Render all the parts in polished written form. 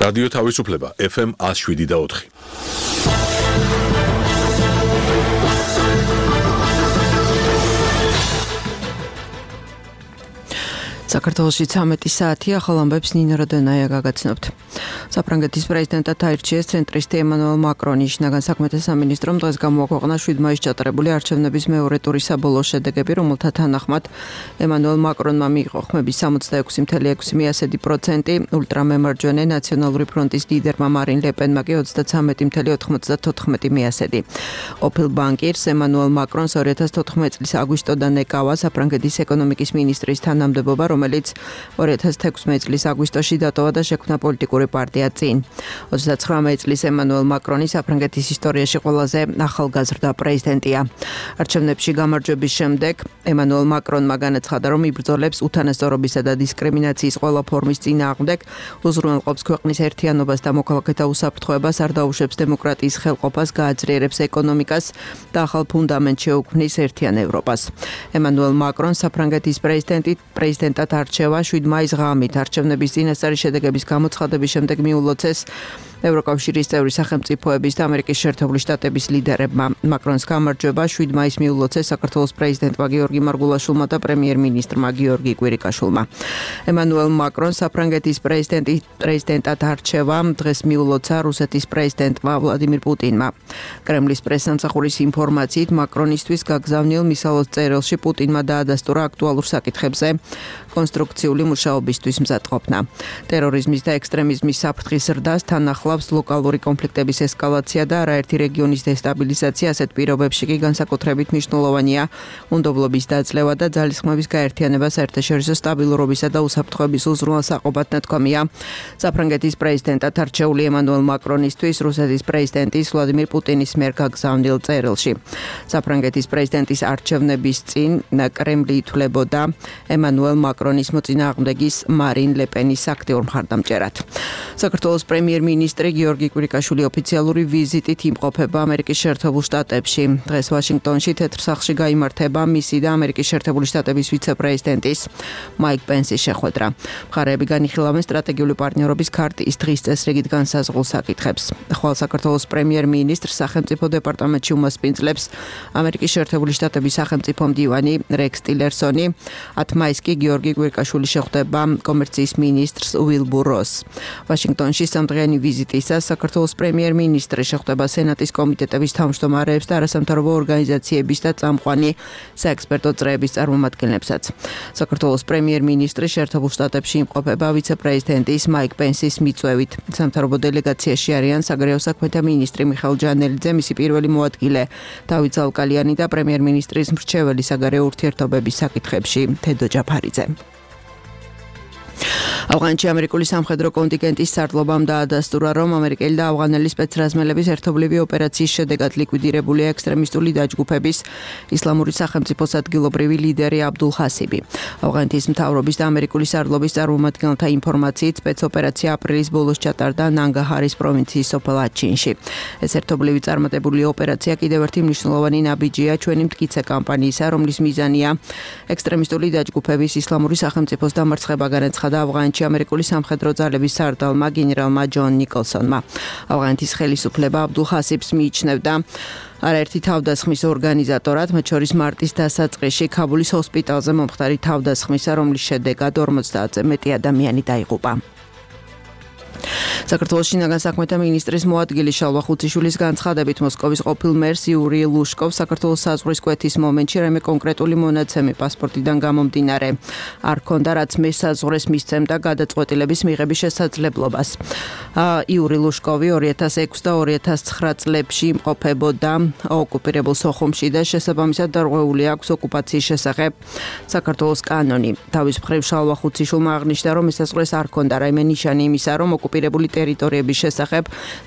რადიო თავისუფლება FM 107.4. საქართველოში 13 საათი ახალ ამბებს ნინო როდონაია გაგაცნობთ. საფრანგეთის პრეზიდენტად აირჩიეს ცენტრისტი ემანუელ მაკრონი. შინაგან საქმეთა სამინისტრომ დღეს გამოაქვეყნა 7 მაისს ჩატარებული არჩევნების მეორე ტურის საბოლოო შედეგები, რომელთა თანახმად ემანუელ მაკრონმა მიიღო ხმების 66.6%, ულტრამემარჯვენე ნაციონალური ფრონტის ლიდერმა მარინ ლეპენმა კი 33.94%. ყოფილ ბანკირს ემანუელ მაკრონს 2014 წლის აგვისტოდან ეკავა საფრანგეთის ეკონომიკის მინისტრის თანამდებობა, რომელიც 2016 წლის აგვისტოში დატოვა და შექმნა პოლიტიკური პარტია წინ. 29 წლის ემანუელ მაკრონი საფრანგეთის ისტორიაში ყველაზე ახალგაზრდა პრეზიდენტია. არჩევნებში გამარჯვების შემდეგ ემანუელ მაკრონმა განაცხადა, რომ იბრძოლებს უთანასწორობისა და დისკრიმინაციის ყველა ფორმის წინააღმდეგ, უზრუნველყოფს ქვეყნის ერთიანობას და მოქალაქეთა უსაფრთხოებას, არ დაუშვებს დემოკრატიის ხელყოფას, გააძლიერებს ეკონომიკას და ახალ ფუნდამენტს შეუქმნის ერთიან ევროპას. ემანუელ მაკრონს საფრანგეთის პრეზიდენტად არჩევა 7 მაისს ღამით. არჩევნების წინასწარი შედეგების გამოცხადების შემდეგ მიულოცეს ევროკავშირის წევრი სახელმწიფოების და ამერიკის შეერთებული შტატების ლიდერებმა. მაკრონს გამარჯვება 7 მაისს მიულოცეს საქართველოს პრეზიდენტმა გიორგი მარგულაშვილმა და პრემიერ-მინისტრმა გიორგი კვირიკაშვილმა. ემანუელ მაკრონს საფრანგეთის პრეზიდენტად არჩევა დღეს მიულოცა რუსეთის პრეზიდენტმა ვლადიმირ პუტინმა. კრემლის პრესსამსახურის ინფორმაციით მაკრონისთვის გაგზავნილ მისალოს წერილში პუტინმა დაადასტურა აქტუალურ საკითხებზე კონსტრუქციული მუშაობისთვის მზადყოფნა. ტერორიზმის და ექსტრემიზმის საფრთხის ზრდას თან ახლავს ლოკალური კონფლიქტების ესკალაცია და არაერთი რეგიონის დესტაბილიზაცია. ასეთ პირობებში კი განსაკუთრებით მნიშვნელოვანია უნდობლობის დაძლევა და ძალისხმების გაერთიანება საერთაშორისო სტაბილურობისა და უსაფრთხოების უზრუნველსაყოფად ნათქვამია საფრანგეთის პრეზიდენტად არჩეული ემანუელ მაკრონისთვის რუსეთის პრეზიდენტის ვლადიმირ პუტინის მიერ გაგზავნილ წერილში. საფრანგეთის პრეზიდენტის არჩევნების წინ კრემლი ითვლებოდა ემანუელ მაკრონის მოწინააღმდეგის მარინ ლეპენის აქტიურ მხარდამჭერად. საქართველოს პრემიერ-მინისტრი გიორგი კვირიკაშვილი ოფიციალური ვიზიტით იმყოფება ამერიკის შეერთებულ შტატებში. დღეს ვაშინგტონში თეთრ სახლში გაიმართება მისი და ამერიკის შეერთებული შტატების ვიცე-პრეზიდენტის მაიკ პენსის შეხვედრა. მხარეები განიხილავენ სტრატეგიული პარტნიორობის ქარტიის დღის წესრიგით განსაზღვრულ საკითხებს. ხვალ საქართველოს პრემიერ-მინისტრს სახელმწიფო დეპარტამენტში უმასპინძლებს ამერიკის შეერთებული შტატების სახელმწიფო მდივანი რექს ტილერსონი. 10 მაისს კი გიორგი კვირიკაშვილი შეხვდება კომერციის მინისტრს უილბურ როსს. ვაშინგტონში სამდღიანი ვიზიტისას საქართველოს პრემიერ-მინისტრი შეხვდება სენატის კომიტეტების თავმჯდომარეებს და არასამთავრობო ორგანიზაციების და წამყვანი საექსპერტო წრეების წარმომადგენლებსაც. საქართველოს პრემიერ-მინისტრი შეერთებულ შტატებში იმყოფება ვიცე-პრეზიდენტის მაიკ პენსის მიწვევით. სამთავრობო დელეგაციაში არიან საგარეო საქმეთა მინისტრი მიხეილ ჯანელიძე, მისი პირველი მოადგილე დავით ზალკალიანი და პრემიერ-მინისტრის მრჩეველი საგარეო ურთიერთობების საკითხებში თედო ჯაფარიძე. ავღანეთში ამერიკული სამხედრო კონტინგენტის სარდლობამ დაადასტურა, რომ ამერიკელი და ავღანელი სპეცრაზმელების ერთობლივი ოპერაციის შედეგად ლიკვიდირებულია ექსტრემისტული დაჯგუფების ისლამური სახელმწიფოს ადგილობრივი ლიდერი აბდულ ხასიბი. ავღანეთის მთავრობის და ამერიკული სარდლობის წარმომადგენელთა ინფორმაციით სპეცოპერაცია აპრილის ბოლოს ჩატარდა ნანგაჰარის პროვინციის სოფელ აჩინში. ეს ერთობლივი წარმატებული ოპერაცია კიდევ ერთი მნიშვნელოვანი ნაბიჯია ჩვენი მტკიცე კამპანიისა, რომლის მიზანია ექსტრემისტული დაჯგუფების ისლამური სახელმწიფოს დამარცხება, განაცხადა ავღანეთში ამერიკული სამხედრო ძალების სარდალმა გენერალმა ჯონ ნიკოლსონმა. ავღანეთის ხელისუფლება აბდულ ხასიბს მიიჩნევდა არაერთი თავდასხმის ორგანიზატორად, მათ შორის მარტის დასაწყისში ქაბულის ჰოსპიტალზე მომხდარი თავდასხმისა, რომლის შედეგად 50-ზე მეტი ადამიანი დაიღუპა. საქართველოს შინაგან საქმეთა მინისტრის მოადგილე შალვა ხუციშვილის განცხადებით მოსკოვის ყოფილ მერს იური ლუშკოვს საქართველოს საზღვრის კვეთის მომენტში რამე კონკრეტული მონაცემი პასპორტიდან გამომდინარე არ ჰქონდა, რაც მესაზღვრეს მისცემდა გადაწყვეტილების მიღების შესაძლებლობას. იური ლუშკოვი 2006 და 2009 წლებში იმყოფებოდა ოკუპირებულ სოხუმში და შესაბამისად დარღვეული აქვს ოკუპაციის შესახებ საქართველოს კანონი. თავის მხრივ შალვა ხუციშვილმა აღნიშნა, რომ მესაზღვრეს არ ჰქონდა რაიმე ნიშანი იმისა, რომ ოკუპირებული ტერიტორიების შესახებ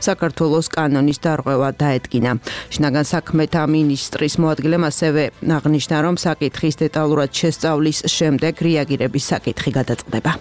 საქართველოს კანონის დარღვევა დაედგინა. შინაგან საქმეთა მინისტრის მოადგილემ ასევე აღნიშნა, რომ საკითხის დეტალურად შესწავლის შემდეგ რეაგირების საკითხი გადაწყდება.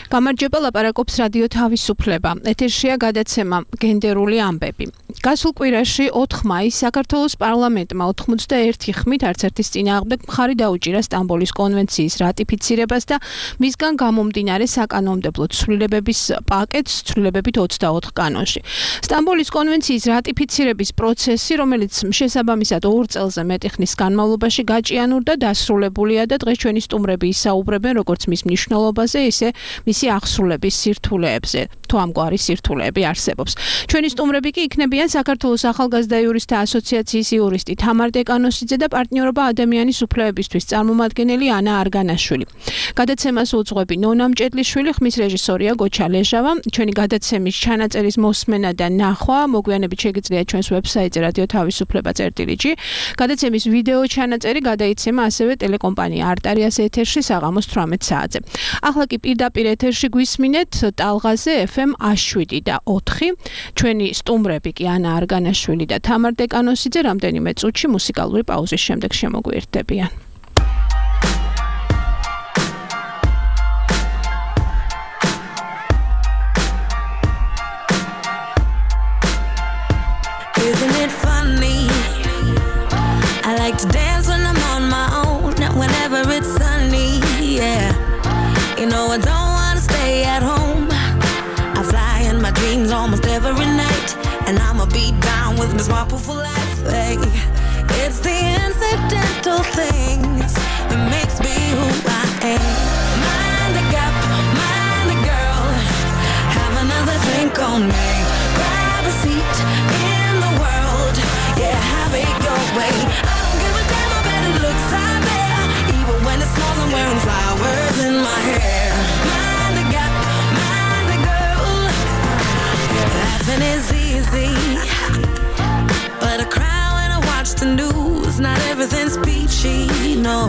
გამარჯობა, ლაპარაკობს რადიო თავისუფლება. ეთერშია გადაცემა გენდერული ამბები. გასულ კვირაში 4 მაისს საქართველოს პარლამენტმა 91 ხმით არც ერთის წინააღმდეგ მხარი დაუჭირა სტამბოლის კონვენციის რატიფიცირებას და მისგან გამომდინარე საკანონმდებლო ცვლილებების პაკეტს ცვლილებებით 24 კანონში. სტამბოლის კონვენციის რატიფიცირების პროცესი, რომელიც შესაბამისად 2 წელზე მეტი ხნის განმავლობაში გაჭიანურდა, დასრულებულია და დღეს ჩვენი სტუმრები ისაუბრებენ როგორც მის მნიშვნელობაზე, ისე მისი აღსრულების სირთულეებზე. თუ ამგვარი სირთულეები არსებობს. ჩვენი სტუმრები კი იქნებიან საქართველოს ახალგაზრდა იურისტთა ასოციაციის იურისტი თამარ დეკანოსიძე და პარტნიორობა ადამიანის უფლებებისთვის წარმომადგენელი ანა არგანაშვილი. გადაცემას უძღვები ნონა მჭედლიშვილი, ხმის რეჟისორია გოჩა ლეჟავა. ჩვენი გადაცემის ჩანაწერის მოსმენა და ნახვა მოგვიანებით შეგიძლიათ ჩვენს ვებსაიტზე radio-tavisupleba.gr. გადაცემის ვიდეო ჩანაწერი გადაიცემა ასევე ტელეკომპანია არტარიას ეთერში საღამოს 18 საათზე. ახლა კი პირდაპირ ეთერში გვისმინეთ ტალღაზე FM 7 და 4. ჩვენი სტუმრები კი ანა არგანაშვილი და თამარ დეკანოსიძე რამდენიმე წუთში მუსიკალური პაუზის შემდეგ შემოგვიერთდებიან. Isn't it funny? I like to dance when I'm on my own, whenever it's sunny, yeah. You know I don't want to stay at home. I fly in my dreams almost every night, and I'ma be down with Miss Marple for life. Hey, it's the incidental things that makes me who I am. Mind the gap, mind the girl. Have another drink on me. Grab a seat in the world. Yeah, have it your way. I don't give a damn how bad it looks out there. Even when it snows, I'm wearing flowers in my hair. Mind the gap, mind the girl. Laughing is easy, but I cry when I watch the news. Not everything's peachy, no.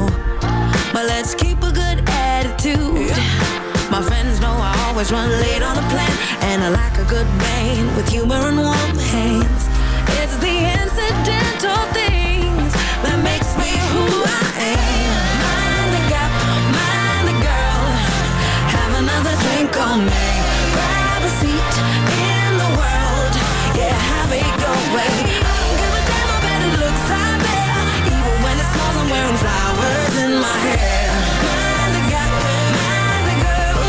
But let's keep a good attitude. My friends know I always run late on a plan, and I like a good man with humor and warm hands. It's the incidental things that makes me who I am. Mind the gap, mind the girl. Have another drink on me. Grab a seat in the world. Yeah, have it your way. I don't give a damn how bad it looks out there. Even when it snows, I'm wearing flowers in my hair. Mind the gap, mind the girl.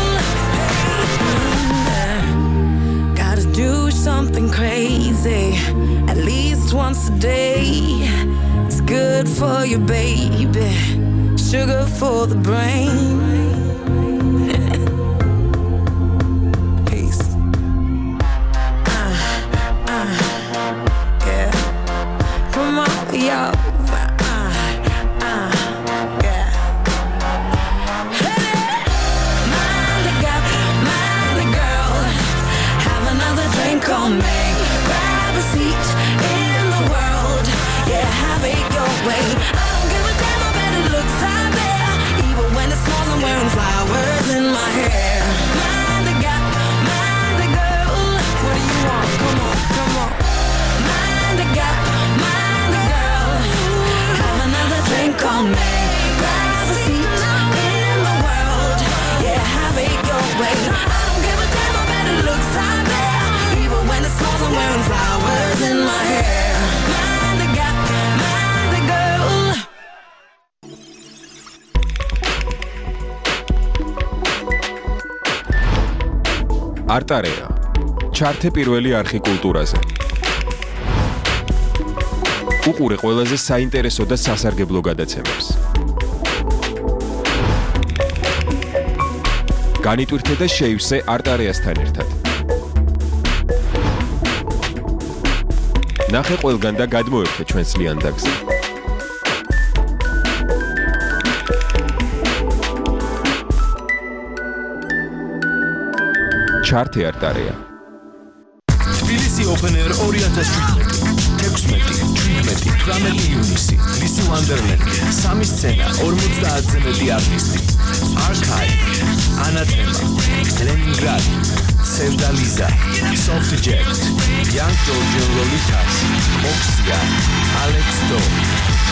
Gotta do something crazy at least once a day. It's good for you, baby. Sugar for the brain. Peace. Yeah. Come on, y'all. Yeah. Hey, mind the gap, mind the girl. Have another drink on me. Grab a seat in the world. Yeah, have it your way. I don't give a damn how bad it looks out there. Even when it snows, I'm wearing flowers in my hair. Mind the gap, mind the girl. What do you want? Come on, come on. Mind the gap, mind the girl. Have another drink on me. Grab a seat in the world. Yeah, have it your way. I don't give a damn how bad it looks out there. Even when it snows, I'm wearing flowers in my hair. Mind the gap, mind the girl. არტარია. ჩართე პირველი არხი კულტურაზე. უყურე ყველაზე საინტერესო და სასარგებლო გადაცემებს. განიტვირთე და შეივსე არტარიასთან ერთად. ნახე ყველგან და გადმოერთე ჩვენს ლიანდაგზე. ჩართე არტარია. თბილისი Open Air 2017 18 ივნისი ლისი ვანდერლენდი 3 სცენა 50-ზე მეტი არტისტი Archive Anathema Leningrad Sevda Liza Soft Jet Young Georgian Lolitas Oxy პროდუქცია ალექს დო.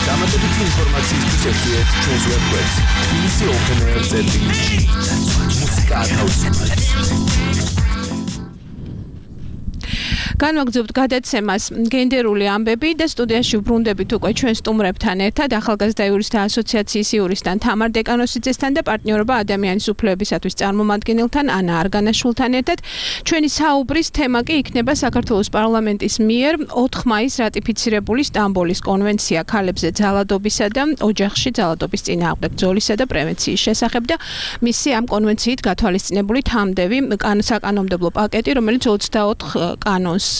დამატებითი ინფორმაციისთვის ეწვიეთ ჩვენს ვებგვერდს tbilisi.openair.gr. მუსიკა ათავისუფლებს. განვაგრძობთ გადაცემას გენდერული ამბები და სტუდიაში ვბრუნდებით უკვე ჩვენ სტუმრებთან ერთად ახალგაზრდა იურისტთა ასოციაციის იურისტთან თამარ დეკანოსიძესთან და პარტნიორობა ადამიანის უფლებებისათვის წარმომადგენელთან ანა არგანაშვილთან ერთად. ჩვენი საუბრის თემა კი იქნება საქართველოს პარლამენტის მიერ 4 მაისს რატიფიცირებული სტამბოლის კონვენცია ქალებზე ძალადობისა და ოჯახში ძალადობის წინააღმდეგ ბრძოლისა და პრევენციის შესახებ და მისი ამ კონვენციით გათვალისწინებული თამდევი საკანონმდებლო პაკეტი, რომელიც 24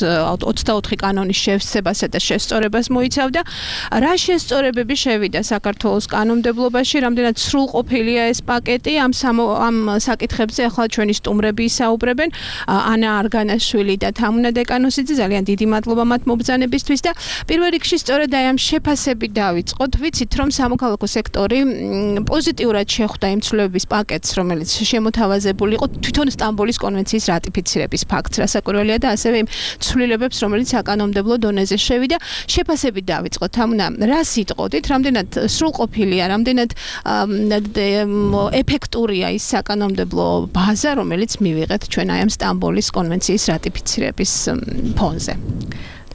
კანონის შევსებასა და შესწორებას მოიცავდა. რა შესწორებები შევიდა საქართველოს კანონმდებლობაში, რამდენად სრულყოფილია ეს პაკეტი, ამ საკითხებზე ახლა ჩვენი სტუმრები ისაუბრებენ. ანა არგანაშვილი და თამუნა დეკანოსიძე, ძალიან დიდი მადლობა მათ მობრძანებისთვის და პირველ რიგში სწორედ აი ამ შეფასებით დავიწყოთ. ვიცით, რომ სამოქალაქო სექტორი პოზიტიურად შეხვდა იმ ცვლილებების პაკეტს, რომელიც შემოთავაზებული იყო თვითონ სტამბოლის კონვენციის რატიფიცირების ფაქტს, რასაკვირველია და ასევე იმ ცვლილებებს, რომელიც საკანონმდებლო დონეზე შევიდა. შეფასებით დავიწყოთ. თამუნა, რა სიტყოდით, რამდენად სრულყოფილია, რამდენად ეფექტურია ის საკანონმდებლო ბაზა, რომელიც მივიღეთ ჩვენ აი ამ სტამბოლის კონვენციის რატიფიცირების ფონზე.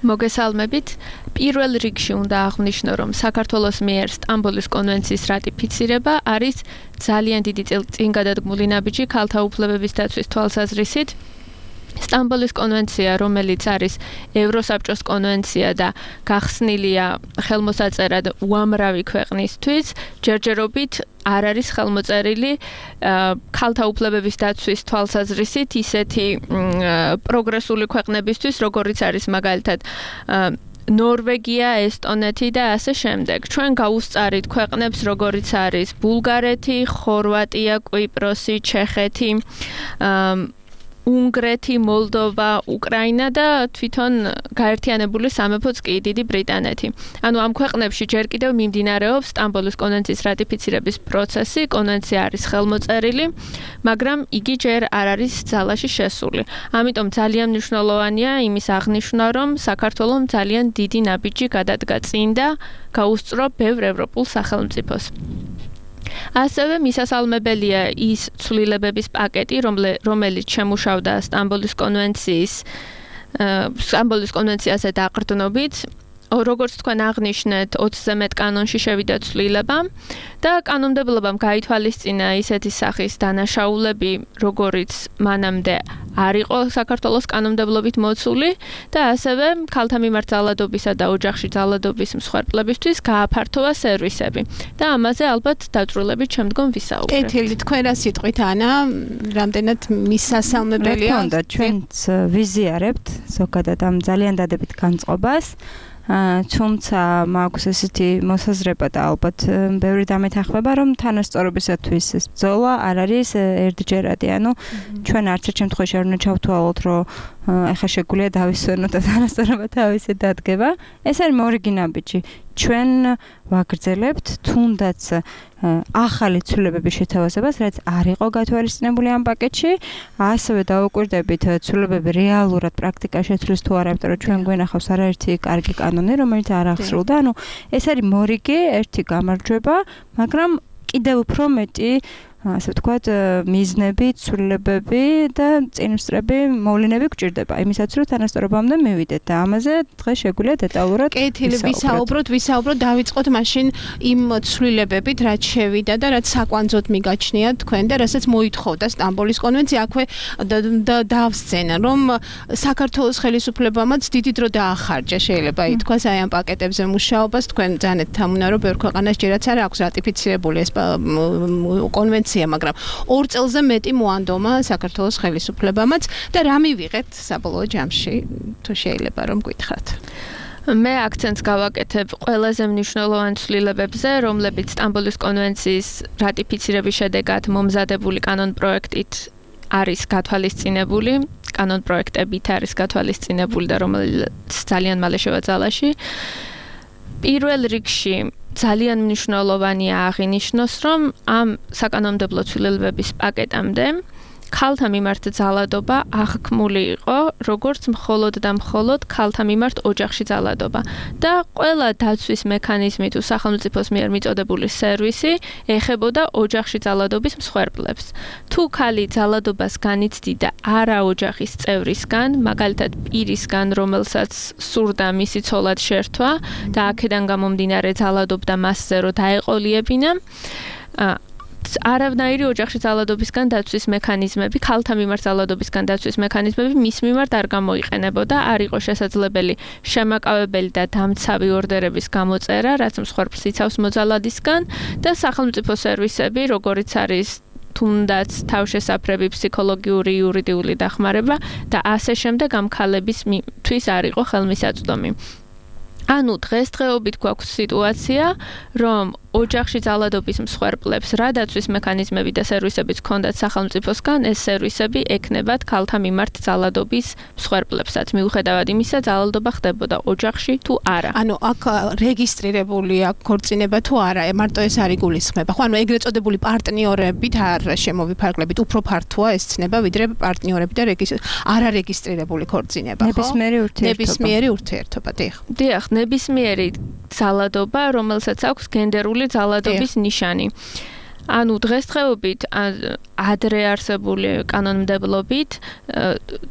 მოგესალმებით. პირველ რიგში უნდა აღვნიშნო, რომ საქართველოს მიერ სტამბოლის კონვენციის რატიფიცირება არის ძალიან დიდი წინგადადგმული ნაბიჯი ქალთა უფლებების დაცვის თვალსაზრისით. სტამბოლის კონვენცია, რომელიც არის ევროსაბჭოს კონვენცია და გახსნილია ხელმოსაწერად უამრავი ქვეყნისთვის, ჯერჯერობით არ არის ხელმოწერილი ქალთა უფლებების დაცვის თვალსაზრისით ისეთი პროგრესული ქვეყნებისთვის, როგორიც არის მაგალითად ნორვეგია, ესტონეთი და ასე შემდეგ. ჩვენ გავუსწარით ქვეყნებს, როგორიც არის ბულგარეთი, ხორვატია, კვიპროსი, ჩეხეთი, უნგრეთი, მოლდოვა, უკრაინა და თვითონ გაერთიანებული სამეფოც კი დიდი ბრიტანეთი. ანუ ამ ქვეყნებში ჯერ კიდევ მიმდინარეობს სტამბოლის კონვენციის რატიფიცირების პროცესი, კონვენცია არის ხელმოწერილი, მაგრამ იგი ჯერ არ არის ძალაში შესული. ამიტომ ძალიან მნიშვნელოვანია იმის აღნიშვნა, რომ საქართველომ ძალიან დიდი ნაბიჯი გადადგა წინ და გაუსწრო ბევრ ევროპულ სახელმწიფოს. ასევე მისასალმებელია ის ცვლილებების პაკეტი, რომელიც შემუშავდა სტამბოლის კონვენციაზე დაყრდნობით. როგორც თქვენ აღნიშნეთ, 20-ზე მეტ კანონში შევიდა ცვლილება და კანონმდებლობამ გაითვალისწინა ისეთი სახის დანაშაულები, როგორიც მანამდე არ იყო საქართველოს კანონმდებლობით მოცული და ასევე ქალთა მიმართ ძალადობისა და ოჯახში ძალადობის მსხვერპლებისთვის გააფართოვა სერვისები. და ამაზე ალბათ დაწვრილებით შემდგომ ვისაუბრებთ. კეთილი, თქვენ რა სიტყვით ანა, რამდენად მისასალმებელია? თქონდა, ჩვენც ვიზიარებთ ზოგადად ამ ძალიან დადებით განწყობას. თუმცა მაქვს ესეთი მოსაზრება და ალბათ ბევრი დამეთანხმება, რომ თანასწორობისათვის ეს ბრძოლა არ არის ერთჯერადი. ანუ ჩვენ არც ერთ შემთხვევაში არ უნდა ჩავთვალოთ, რომ ეხლა შეგვიძლია დავისვენოთ და თანასწორობა თავისი დადგება. ეს არის მორიგი ნაბიჯი. ჩვენ ვაგრძელებთ თუნდაც ახალი ცვლილებების შეთავაზებას, რაც არ იყო გათვალისწინებული ამ პაკეტში, ასევე დავუკვირდებით ცვლილებები რეალურად პრაქტიკაში შეცვლის თუ არა, იმიტომ რომ ჩვენ გვენახავს არაერთი კარგი კანონი, რომელიც არ აღსრულდა. ანუ ეს არის მორიგი ერთი გამარჯვება, მაგრამ კიდევ უფრო მეტი ასე ვთქვათ, მიზნები, ცვლილებები და წინსწრები მოვლენები გვჭირდება. იმისაც რომ თანასწორობამდე მივიდეთ და ამაზე დღეს შეგვიძლია დეტალურად ვისაუბროთ, დავიწყოთ მაშინ იმ ცვლილებებით, რაც შევიდა და რაც საკვანძოდ მიგაჩნია თქვენ და რასაც მოითხოვდა სტამბოლის კონვენცია. აქვე დავსცენა, რომ საქართველოს ხელისუფლებამაც დიდი დრო დაახარჯა, შეიძლება ითქვას აი ამ პაკეტებზე მუშაობას. თქვენ ძანეთ თამუნა, რომ ბევრ ქვეყანას ჯერაც არ აქვს რატიფიცირებული ეს კონვენცია, მაგრამ 2 წელზე მეტი მოანდომა საქართველოს ხელისუფლებამაც და რა მივიღეთ საბოლოო ჯამში, თუ შეიძლება რომ გითხრათ. მე აქცენტს გავაკეთებ ყველაზე მნიშვნელოვან ცვლილებებზე, რომლებიც სტამბოლის კონვენციის რატიფიცირების შედეგად მომზადებული კანონპროექტით არის გათვალისწინებული, კანონპროექტებით არის გათვალისწინებული და რომელიც ძალიან მალე შევაძალაში. პირველ რიგში ძალიან მნიშვნელოვანია აღინიშნოს, რომ ამ საკანონმდებლო ცვლილებების პაკეტამდე ქალთა მიმართ ძალადობა აღქმული იყო როგორც მხოლოდ და მხოლოდ ქალთა მიმართ ოჯახში ძალადობა და ყველა დაცვის მექანიზმი თუ სახელმწიფოს მიერ მიწოდებული სერვისი ეხებოდა ოჯახში ძალადობის მსხვერპლებს. თუ ქალი ძალადობას განიცდიდა არა ოჯახის წევრისგან, მაგალითად პირისგან, რომელსაც სურდა მისი ცოლად შერთვა და აქედან გამომდინარე ძალადობდა მასზე, რომ დაეყოლიებინა, არავნაირი ოჯახში ძალადობისგან დაცვის მექანიზმები, ქალთა მიმართ ძალადობისგან დაცვის მექანიზმები მის მიმართ არ გამოიყენებოდა, არ იყო შესაძლებელი შემაკავებელი და დამცავი ორდერების გამოწერა, რაც მსხვერპლს იცავს მოძალადისგან და სახელმწიფო სერვისები, როგორიც არის თუნდაც თავშესაფრები, ფსიქოლოგიური, იურიდიული დახმარება და ასე შემდეგ ამ ქალებისთვის არ იყო ხელმისაწვდომი. ანუ დღესდღეობით გვაქვს სიტუაცია, რომ ოჯახში ძალადობის მსხვერპლებს რა დაცვის მექანიზმები და სერვისებიც ჰქონდათ სახელმწიფოსგან, ეს სერვისები ექნებათ ქალთა მიმართ ძალადობის მსხვერპლებსაც, მიუხედავად იმისა, ძალადობა ხდებოდა ოჯახში თუ არა. ანუ აქ რეგისტრირებულია ქორწინება თუ არა, მარტო ეს არ იგულისხმება. ხო, ანუ ეგრეთ წოდებული პარტნიორებით არ შემოვიფარგლებით, უფრო ფართოა ეს ცნება, ვიდრე პარტნიორები და არარეგისტრირებული ქორწინება, ხო? ნებისმიერი ურთიერთობა, დიახ, ნებისმიერი ძალადობა, რომელსაც აქვს გენდერული ძალადობის ნიშანი. ანუ დღესდღეობით ადრე არსებული კანონმდებლობით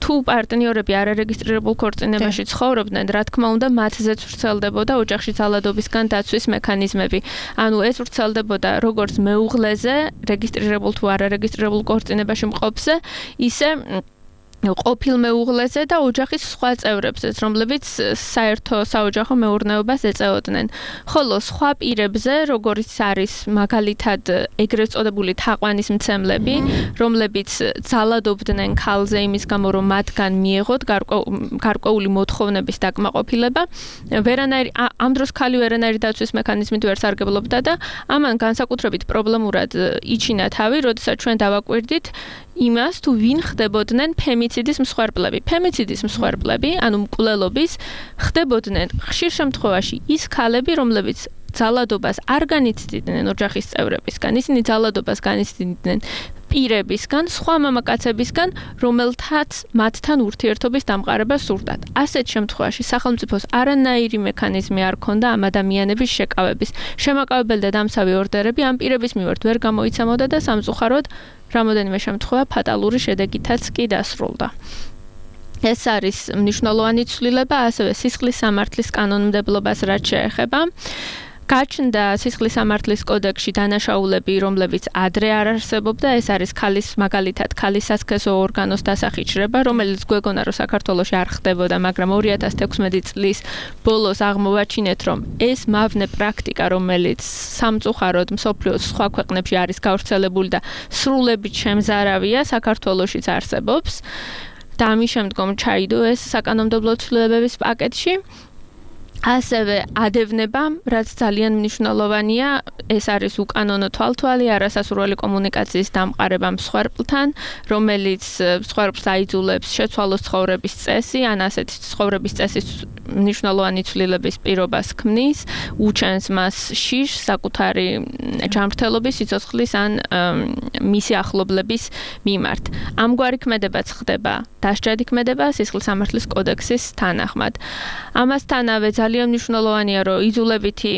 თუ პარტნიორები არარეგისტრირებულ ქორწინებაში ცხოვრობდნენ, რა თქმა უნდა, მათზეც ვრცელდებოდა ოჯახში ძალადობისგან დაცვის მექანიზმები. ანუ ეს ვრცელდებოდა როგორც მეუღლეზე, რეგისტრირებულ თუ არარეგისტრირებულ ქორწინებაში მყოფზე, ისე ყოფილ მეუღლეზე და ოჯახის სხვა წევრებზეც, რომლებიც საერთო საოჯახო მეურნეობას ეწეოდნენ. ხოლო სხვა პირებზე, როგორიც არის მაგალითად ეგრეთ წოდებული თაყვანის მცემლები, რომლებიც ძალადობდნენ ქალზე იმის გამო, რომ მათგან მიეღოთ გარკვეული მოთხოვნების დაკმაყოფილება, ამ დროს ქალი ვერანაირი დაცვის მექანიზმით ვერ სარგებლობდა და ამან განსაკუთრებით პრობლემურად იჩინა თავი, როდესაც ჩვენ დავაკვირდით იმას, თუ ვინ ხდებოდნენ ფემიციდის მსხვერპლები. ფემიციდის მსხვერპლები, ანუ მკვლელობის, ხდებოდნენ ხშირ შემთხვევაში ის ქალები, რომლებიც ძალადობას არ განიცდიდნენ ოჯახის წევრებისგან, ისინი ძალადობას განიცდიდნენ პირებისგან, სხვა მამაკაცებისგან, რომელთაც მათთან ურთიერთობის დამყარება სურდათ. ასეთ შემთხვევაში სახელმწიფოს არანაირი მექანიზმი არ ჰქონდა ამ ადამიანების შეკავების. შემაკავებელი და დამცავი ორდერები ამ პირების მიმართ ვერ გამოიცემოდა და სამწუხაროდ რამოდენიმე შემთხვევა ფატალური შედეგითაც კი დასრულდა. ეს არის მნიშვნელოვანი ცვლილება, ასევე სისხლის სამართლის კანონმდებლობას რაც შეეხება. გაჩნდა სისხლის სამართლის კოდექსში დანაშაულები, რომლებიც ადრე არ არსებობდა, ეს არის მაგალითად ქალის სასქესო ორგანოს დასახიჩრება, რომელიც გვეგონა რომ საქართველოში არ ხდებოდა, მაგრამ 2016 წლის ბოლოს აღმოვაჩინეთ, რომ ეს მავნე პრაქტიკა, რომელიც სამწუხაროდ მსოფლიოს სხვა ქვეყნებში არის გავრცელებული და სრულებით შემზარავია, საქართველოშიც არსებობს. და ამის შემდგომ ჩაიდო ეს საკანონმდებლო ცვლილებების პაკეტში. ასევე ადევნება, რაც ძალიან მნიშვნელოვანია, ეს არის უკანონო თვალთვალი არასასურველი კომუნიკაციის დამყარება მსხვერპლთან, რომელიც მსხვერპლს აიძულებს შეცვალოს ცხოვრების წესი, ან ასეთი ცხოვრების წესის მნიშვნელოვანი ცვლილების პირობას ქმნის, უჩენს მას შიშს საკუთარი ჯანმრთელობის, სიცოცხლის ან მისი ახლობლების მიმართ. ამგვარი ქმედებაც ხდება დასჯადი ქმედება სისხლის სამართლის კოდექსის თანახმად. ამასთანავე ძალიან მნიშვნელოვანია, რომ იძულებითი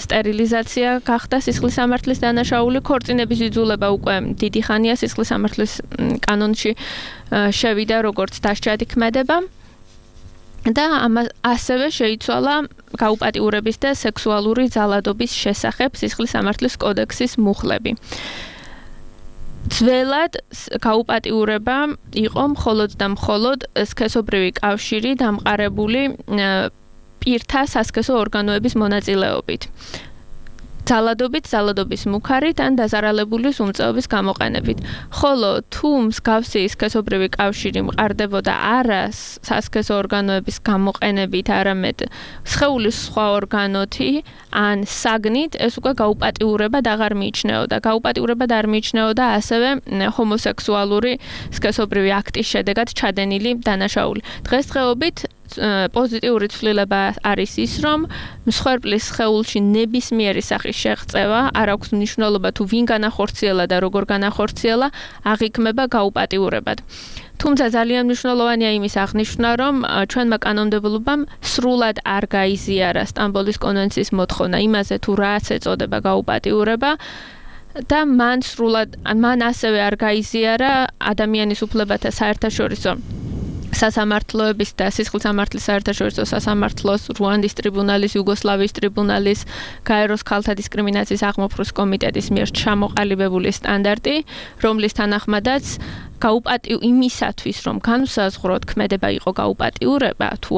სტერილიზაცია გახდა სისხლის სამართლის დანაშაული, ქორწინების იძულება უკვე დიდი ხანია სისხლის სამართლის კანონში შევიდა როგორც დასჯადი ქმედება. და ასევე შეიცვალა გაუპატიურების და სექსუალური ძალადობის შესახებ სისხლის სამართლის კოდექსის მუხლები. ძველად გაუპატიურება იყო მხოლოდ და მხოლოდ სქესობრივი კავშირი დამყარებული პირთა სასქესო ორგანოების მონაწილეობით. ძალადობის მუქარით ან დაზარალებული სუმწეობის გამოყენებით. ხოლო თუ მსგავსი სქესობრივი კავშირი მყარდებოდა არა სასქესო ორგანოების გამოყენებით, არამედ სხეულის სხვა ორგანოთი ან საგნით, ეს უკვე გაუპატიურებად აღარ მიიჩნეოდა. გაუპატიურებად არ მიიჩნეოდა ასევე ჰომოსექსუალური სქესობრივი აქტის შედეგად ჩადენილი დანაშაული. დღესდღეობით პოზიტიური ცვლილება არის ის, რომ მსხვერპლის სხეულში ნებისმიერი სახის შეღწევა არ აქვს მნიშვნელობა თუ ვინ განახორციელა და როგორ განახორციელა, აღიქმება გაუპატიურებად. თუმცა ძალიან მნიშვნელოვანია იმის აღნიშვნა, რომ ჩვენმა კანონმდებლობამ სრულად არ გაიზიარა სტამბოლის კონვენციის მოთხოვნა იმაზე, თუ რაც ეწოდება გაუპატიურება და მან ასევე არ გაიზიარა ადამიანის უფლებათა საერთაშორისო სასამართლოების და სისხლისამართლის საერთაშორისო სასამართლოს, რუანდის ტრიბუნალის, იუგოსლავიის ტრიბუნალის, გაეროს ქალთა დისკრიმინაციის აღმოფხვრვის კომიტეტის მიერ ჩამოყალიბებული სტანდარტი, რომლის თანახმადაც იმისათვის, რომ განსაზღვროთ ქმედება იყო გაუპატიურება თუ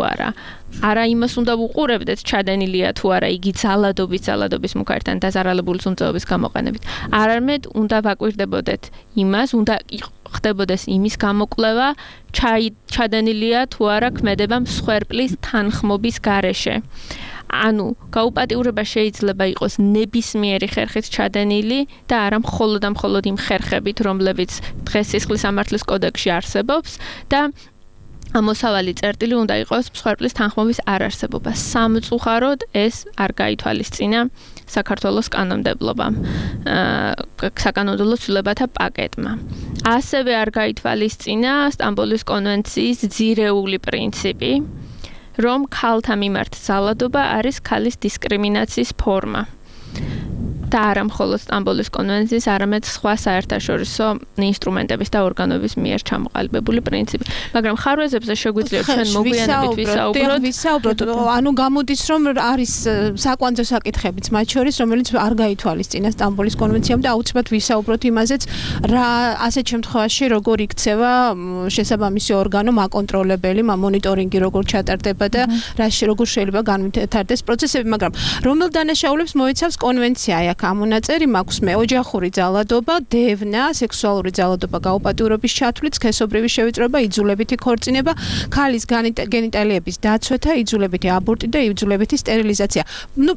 არა იმას უნდა ვუყურებდეთ, ჩადენილია თუ არა იგი ძალადობის მუქართან დაზარალებული ზუნწეობის გამოყენებით. არამედ უნდა ვაკვირდებოდეთ იმას, უნდა ხდებოდეს იმის გამოკვლევა, ჩადენილია თუ არა ქმედება მსხვერპლის თანხმობის გარეშე. ანუ გაუპატიურება შეიძლება იყოს ნებისმიერი ხერხით ჩადენილი და არა მხოლოდ იმ ხერხებით, რომლებიც დღეს სისხლისამართლის კოდექსში არსებობს და ამოსავალი წერტილი უნდა იყოს მსხვერპლის თანხმობის არარსებობა. სამწუხაროდ ეს არ გაითვალისწინა საქართველოს კანონმდებლობამ, საკანონმდებლო ცვლილებათა პაკეტმა. ასევე არ გაითვალისწინა სტამბოლის კონვენციის ძირეული პრინციპი, რომ ქალთა მიმართ ძალადობა არის ქალის დისკრიმინაციის ფორმა. და არა მხოლოდ სტამბოლის კონვენციის, არამედ სხვა საერთაშორისო ინსტრუმენტების და ორგანოების მიერ ჩამოყალიბებული პრინციპი. მაგრამ ხარვეზებზე შეგვიძლია ჩვენ მოგვიანებით ვისაუბროთ. ანუ გამოდის, რომ არის საკვანძო საკითხებიც მათ შორის, რომელიც არ გაითვალისწინა სტამბოლის კონვენციამ და აუცილებლად ვისაუბროთ იმაზეც, რა ასეთ შემთხვევაში როგორ იქცევა შესაბამისი ორგანო, მაკონტროლებელი, მონიტორინგი როგორ ჩატარდება და როგორ შეიძლება განვითარდეს პროცესები, მაგრამ რომელ დანაშაულებს მოიცავს კონვენცია? ამონაწერი მაქვს მე ოჯახური ძალადობა, დევნა, სექსუალური ძალადობა, გაუპატიურების ჩათვლით, სქესობრივი შევიწროება, იძულებითი ქორწინება, ქალის გენიტალიების დაცვეთა, იძულებითი აბორტი და იძულებითი სტერილიზაცია.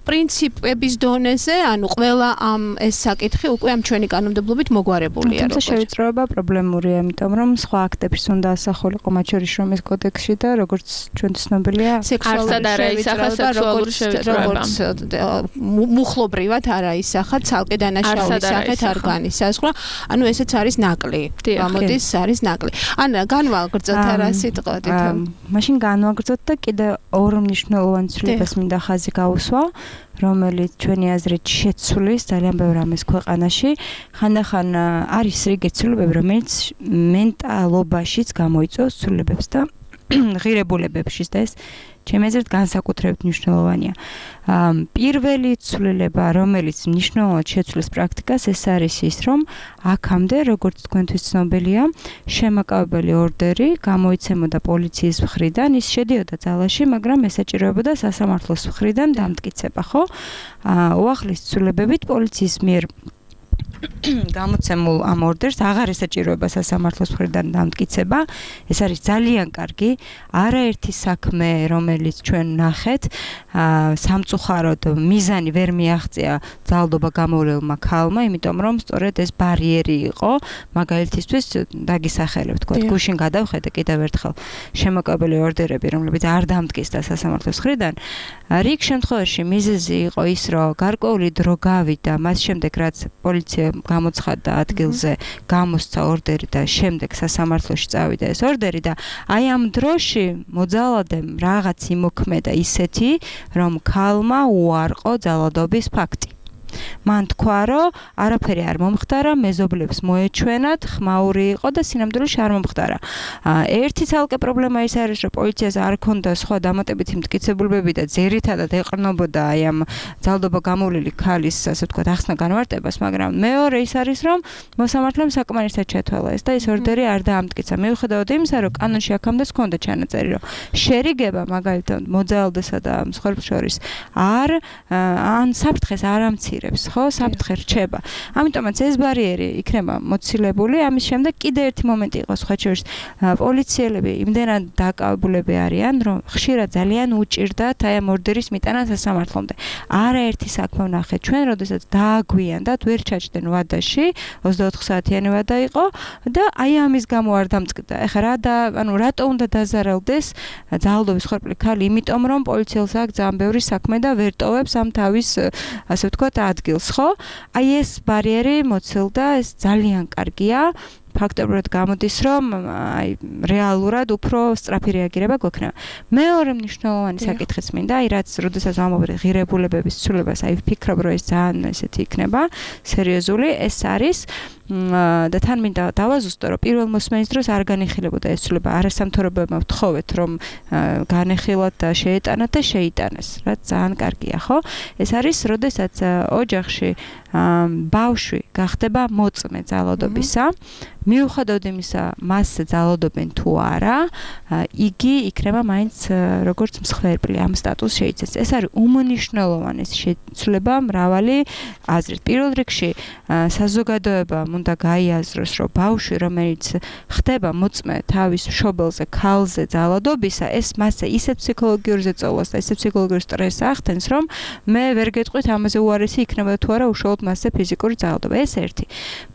პრინციპების დონეზე, ყველა ეს საკითხი უკვე ამ ჩვენი კანონმდებლობით მოგვარებულია. თუმცა შევიწროება პრობლემურია, იმიტომ რომ სხვა აქტებს უნდა ასახულიყო მათ შორის შრომის კოდექსში და როგორც ჩვენ ცნობილია, სექსუალური შევიწროება, მუხლობრივად არა ისახა, ცალკე დანაშაულის სახით არ განისაზღვრა. ანუ ესეც არის ნაკლი. გამოდის არის ნაკლი. განვაგრძოთ არა სიტყვით. მაშინ განვაგრძოთ და კიდე ორ მნიშვნელოვან ცვლილებას მინდა ხაზი გაუსვა, რომელიც ჩვენი აზრით შეცვლის ძალიან ბევრ ამას ქვეყანაში. ხანდახან არის რიგი ცვლილებები, რომელიც მენტალობაშიც გამოიწვევს ცვლილებებს და ღირებულებებშიც და ეს ჩემი აზრით განსაკუთრებით მნიშვნელოვანია. პირველი ცვლილება, რომელიც მნიშვნელოვნად შეცვლის პრაქტიკას, ეს არის ის, რომ აქამდე, როგორც თქვენთვის ცნობილია, შემაკავებელი ორდერი გამოიცემოდა პოლიციის მხრიდან, ის შედიოდა ძალაში, მაგრამ ესაჭიროებოდა სასამართლოს მხრიდან დამტკიცება, ხო? უახლის ცვლილებებით პოლიციის მიერ გამოცემულ ამ ორდერს აღარ ესაჭიროება სასამართლოს მხრიდან დამტკიცება. ეს არის ძალიან კარგი, არაერთი საქმე, რომელიც ჩვენ ნახეთ, სამწუხაროდ მიზანი ვერ მიაღწია ძალადობა გამოვლელმა ქალმა, იმიტომ რომ სწორედ ეს ბარიერი იყო მაგალითისთვის დაგისახელებ, თქო, გუშინ გადავხედე კიდევ ერთხელ შემოკავებელი ორდერები, რომლებიც არ დამტკიცდა სასამართლოს მხრიდან. რიგ შემთხვევაში მიზეზი იყო ის, რომ გარკვეული დრო გავიდა, მას შემდეგ რაც პოლიცია გამოცხადდა ადგილზე, გამოსცა ორდერი და შემდეგ სასამართლოში წავიდა ეს ორდერი და აი ამ დროში მოძალადემ რაღაც იმოქმედა ისეთი, რომ ქალმა უარყო ძალადობის ფაქტი. მან თქვა, რომ არაფერი არ მომხდარა, მეზობლებს მოეჩვენათ, ხმაური იყო და სინამდვილეში არ მომხდარა. ერთი ცალკე პრობლემა ის არის, რომ პოლიციას არ ჰქონდა სხვა დამატებითი მტკიცებულებები და ძირითადად ეყრდნობოდა აი ამ ძალადობა გამოვლილი ქალის, ასე ვთქვათ, ახსნა განმარტებას, მაგრამ მეორე ის არის, რომ მოსამართლემ საკმარისად ჩათვალა ეს და ეს ორდერი არ დაამტკიცა. მიუხედავად იმისა, რომ კანონში აქამდე ჰქონდა ჩანაწერი, რომ შერიგება მაგალითად მოძალადესა და მსხვერპლს შორის ან საფრთხეს არ ამცირებს, ხო, საფრთხე რჩება. ამიტომაც ეს ბარიერი იქნება მოცილებული, ამის შემდეგ კიდე ერთი მომენტი იყო სხვა შორის პოლიციელები იმდენად დაკავებულები არიან, რომ ხშირად ძალიან უჭირდათ აი ამ ორდერის მიტანა სასამართლომდე. არაერთი საქმე ვნახეთ ჩვენ, როდესაც დააგვიანდათ, ვერ ჩაჯდნენ ვადაში, 24 საათიანი ვადა იყო და აი ამის გამო არ დამწყდა. ეხლა რატო უნდა დაზარალდეს ძალადობის ხორბლი ქალი, იმიტომ რომ პოლიციელს აქვს ძალიან ბევრი საქმე და ვერ ტოვებს ამ თავის ასე ვთქვათ ადგილს, ხო? აი ეს ბარიერი მოცილდა, ეს ძალიან კარგია. ფაქტობრივად გამოდის, რომ აი რეალურად უფრო სწრაფი რეაგირება გვექნება. მეორე მნიშვნელოვანი საკითხიც მინდა, აი რაც როდესაც ვამბობთ ღირებულებების ცვლილებას, აი ვფიქრობ, რომ ეს ძალიან ესეთი იქნება სერიოზული, ეს არის და თან მინდა დავაზუსტო, რომ პირველ მოსმენის დროს არ განიხილებოდა ეს ცვლილება, არასამთავრობოებმა ვთხოვეთ, რომ განეხილათ და შეეტანათ და შეიტანეს, რაც ძალიან კარგია, ხო? ეს არის, როდესაც ოჯახში ბავშვი გახდება მოწმე ძალადობისა, მიუხედავად იმისა, მასზე ძალადობენ თუ არა, იგი იქნება მაინც როგორც მსხვერპლი, ამ სტატუსს შეიცეს. ეს არის უმნიშვნელოვანესი შეცვლილება მრავალი აზრით. პირველ რიგში საზოგადოებამ უნდა გაიაზროს, რომ ბავშვი, რომელიც ხდება მოწმე თავის მშობელზე, ქალზე ძალადობისა, ეს მასზე ისეთ ფსიქოლოგიურ ზეწოლას და ისეთ ფსიქოლოგიურ სტრესს ახდენს, რომ მე ვერ გეტყვით ამაზე უარესი იქნება თუ არა უშუალოდ მასზე ფიზიკური ძალადობა. ეს ერთი.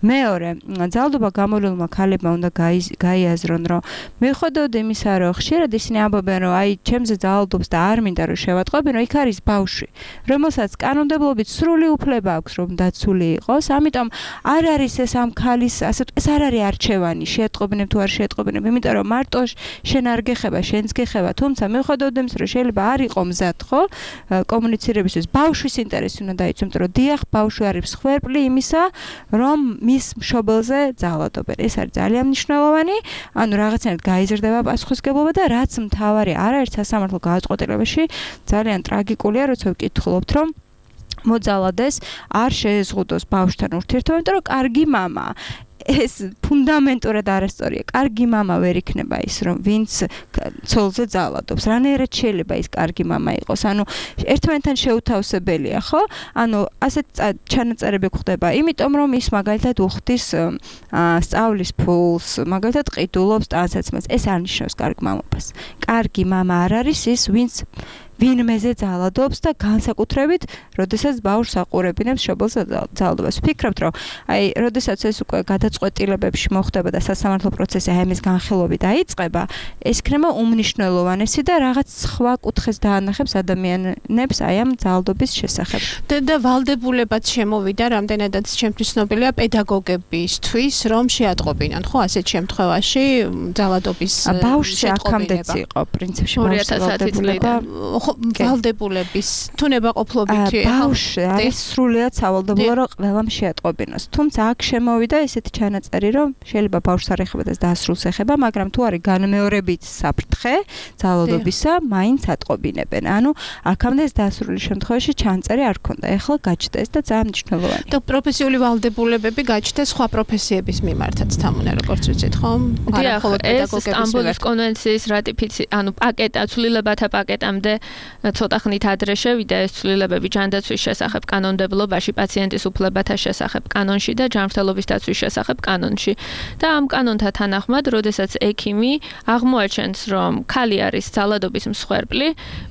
მეორე, ძალადობა გამოვლენილმა ქალებმა უნდა გაიაზრონ, რომ მიუხედავად იმისა, რომ ხშირად ისინი ამბობენ, რომ აი ჩემზე ძალადობს და არ მინდა რომ შევატყობინო, იქ არის ბავშვი, რომელსაც კანონმდებლობით სრული უფლება აქვს, რომ დაცული იყოს. ამიტომ არ არის ეს ამ ქალის, ეს არ არის არჩევანი, შეატყობინებ თუ არ შეატყობინებ, იმიტომ რომ მარტო შენ არ გეხება, შენც გეხება, თუმცა მიუხედავად იმისა, რომ შეიძლება არ იყო მზად, ხო, კომუნიცირებისთვის, ბავშვის ინტერესი უნდა დაიცვა, იმიტომ რომ დიახ, ბავშვი არის მსხვერპლი იმისა, რომ მის მშობელზე ძალადობენ. ეს არის ძალიან მნიშვნელოვანი, ანუ რაღაცნაირად გაიზრდება პასუხისმგებლობა და რაც მთავარი, არაერთ სასამართლო გადაწყვეტილებაში ძალიან ტრაგიკულია, როცა ვკითხულობთ, რომ მოძალადეს არ შეეზღუდოს ბავშვთან ურთიერთობა, იმიტომ რომ კარგი მამაა. ეს ფუნდამენტურად არასწორია. კარგი мама ვერ იქნება ის, რომ ვინც ცოლზე ძალადობს. რანაირად შეიძლება ის კარგი мама იყოს? ანუ ერთმანეთთან შეუთავსებელია, ხო? ანუ ასეთ ჩანაწერები გვხდება, იმიტომ რომ ის მაგალითად უხდის სწავლის ფულს, მაგალითად ყიდულობს ტანსაცმელს. ეს არ ნიშნავს კარგ მამობას. კარგი мама არ არის ის, ვინც ვინმეზე ძალადობს და განსაკუთრებით, როდესაც ბავშვს აყურებინებს მშობელს ძალადობას. ვფიქრობთ, რომ აი, როდესაც ეს უკვე გადაწყვეტილებებში მოხდება და სასამართლო პროცესი აი ამის განხილვებით დაიწყება, ეს იქნება უმნიშვნელოვანესი და რაღაც სხვა კუთხეს დაანახებს ადამიანებს აი ამ ძალადობის შესახებ. და ვალდებულებაც შემოვიდა, რამდენადაც ჩემთვის ცნობილია პედაგოგებისთვის, რომ შეატყობინონ, ხო, ასეთ შემთხვევაში ძალადობის ბავშვი აქამდეც იყო პრინციპში ვალდებულება ვალდებულების თუნებაყოფლობითი ბავშვი არის სრულიად სავალდებულო, რომ ყველამ შეატყობინოს. თუმცა აქ შემოვიდა ესეთი ჩანაწერი, რომ შეიძლება ბავშვს არ ეხება და დასრულს ეხება, მაგრამ თუ არის განმეორებით საფრთხე ძალადობისა, მაინც ატყობინებენ. ანუ აქამდე ეს დასრული შემთხვევაში ჩანაწერი არ ქონდა. ეხლა გაჩნდა ეს და ძალიან მნიშვნელოვანია. და პროფესიული ვალდებულებები გაჩნდა სხვა პროფესიების მიმართაც თამუნა, როგორც ვიცით, ხო? არა, მხოლოდ პედაგოგების სტამბოლის კონვენციის რატიფიცირება, ანუ პაკეტა ცვლილებათა პაკეტამდე ცოტა ხნით ადრე შევიდა ეს ცვლილებები ჯანდაცვის შესახებ კანონმდებლობაში, პაციენტის უფლებათა შესახებ კანონში და ჯანმრთელობის დაცვის შესახებ კანონში. და ამ კანონთან თანახმად, როდესაც ექიმი აღმოაჩენს, რომ ქალი არის ძალადობის მსხვერპლი,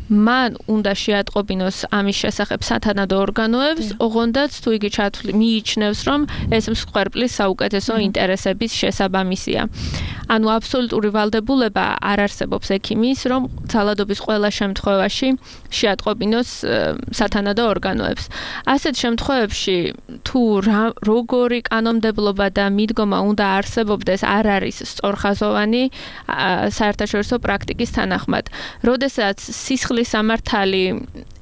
მან უნდა შეატყობინოს ამის შესახებ სათანადო ორგანოებს, ოღონდაც თუ იგი მიიჩნევს, რომ ეს მსხვერპლის საუკეთესო ინტერესების შესაბამისია. ანუ აბსოლუტური ვალდებულება არ არსებობს ექიმის, რომ ძალადობის ყველა შემთხვევაში შეატყობინოს სათანადო ორგანოებს. ასეთ შემთხვევებში თუ როგორი კანონმდებლობა და მიდგომა უნდა არსებობდეს, არ არის სწორხაზოვანი საერთაშორისო პრაქტიკის თანახმად. როდესაც სისხლის სამართალი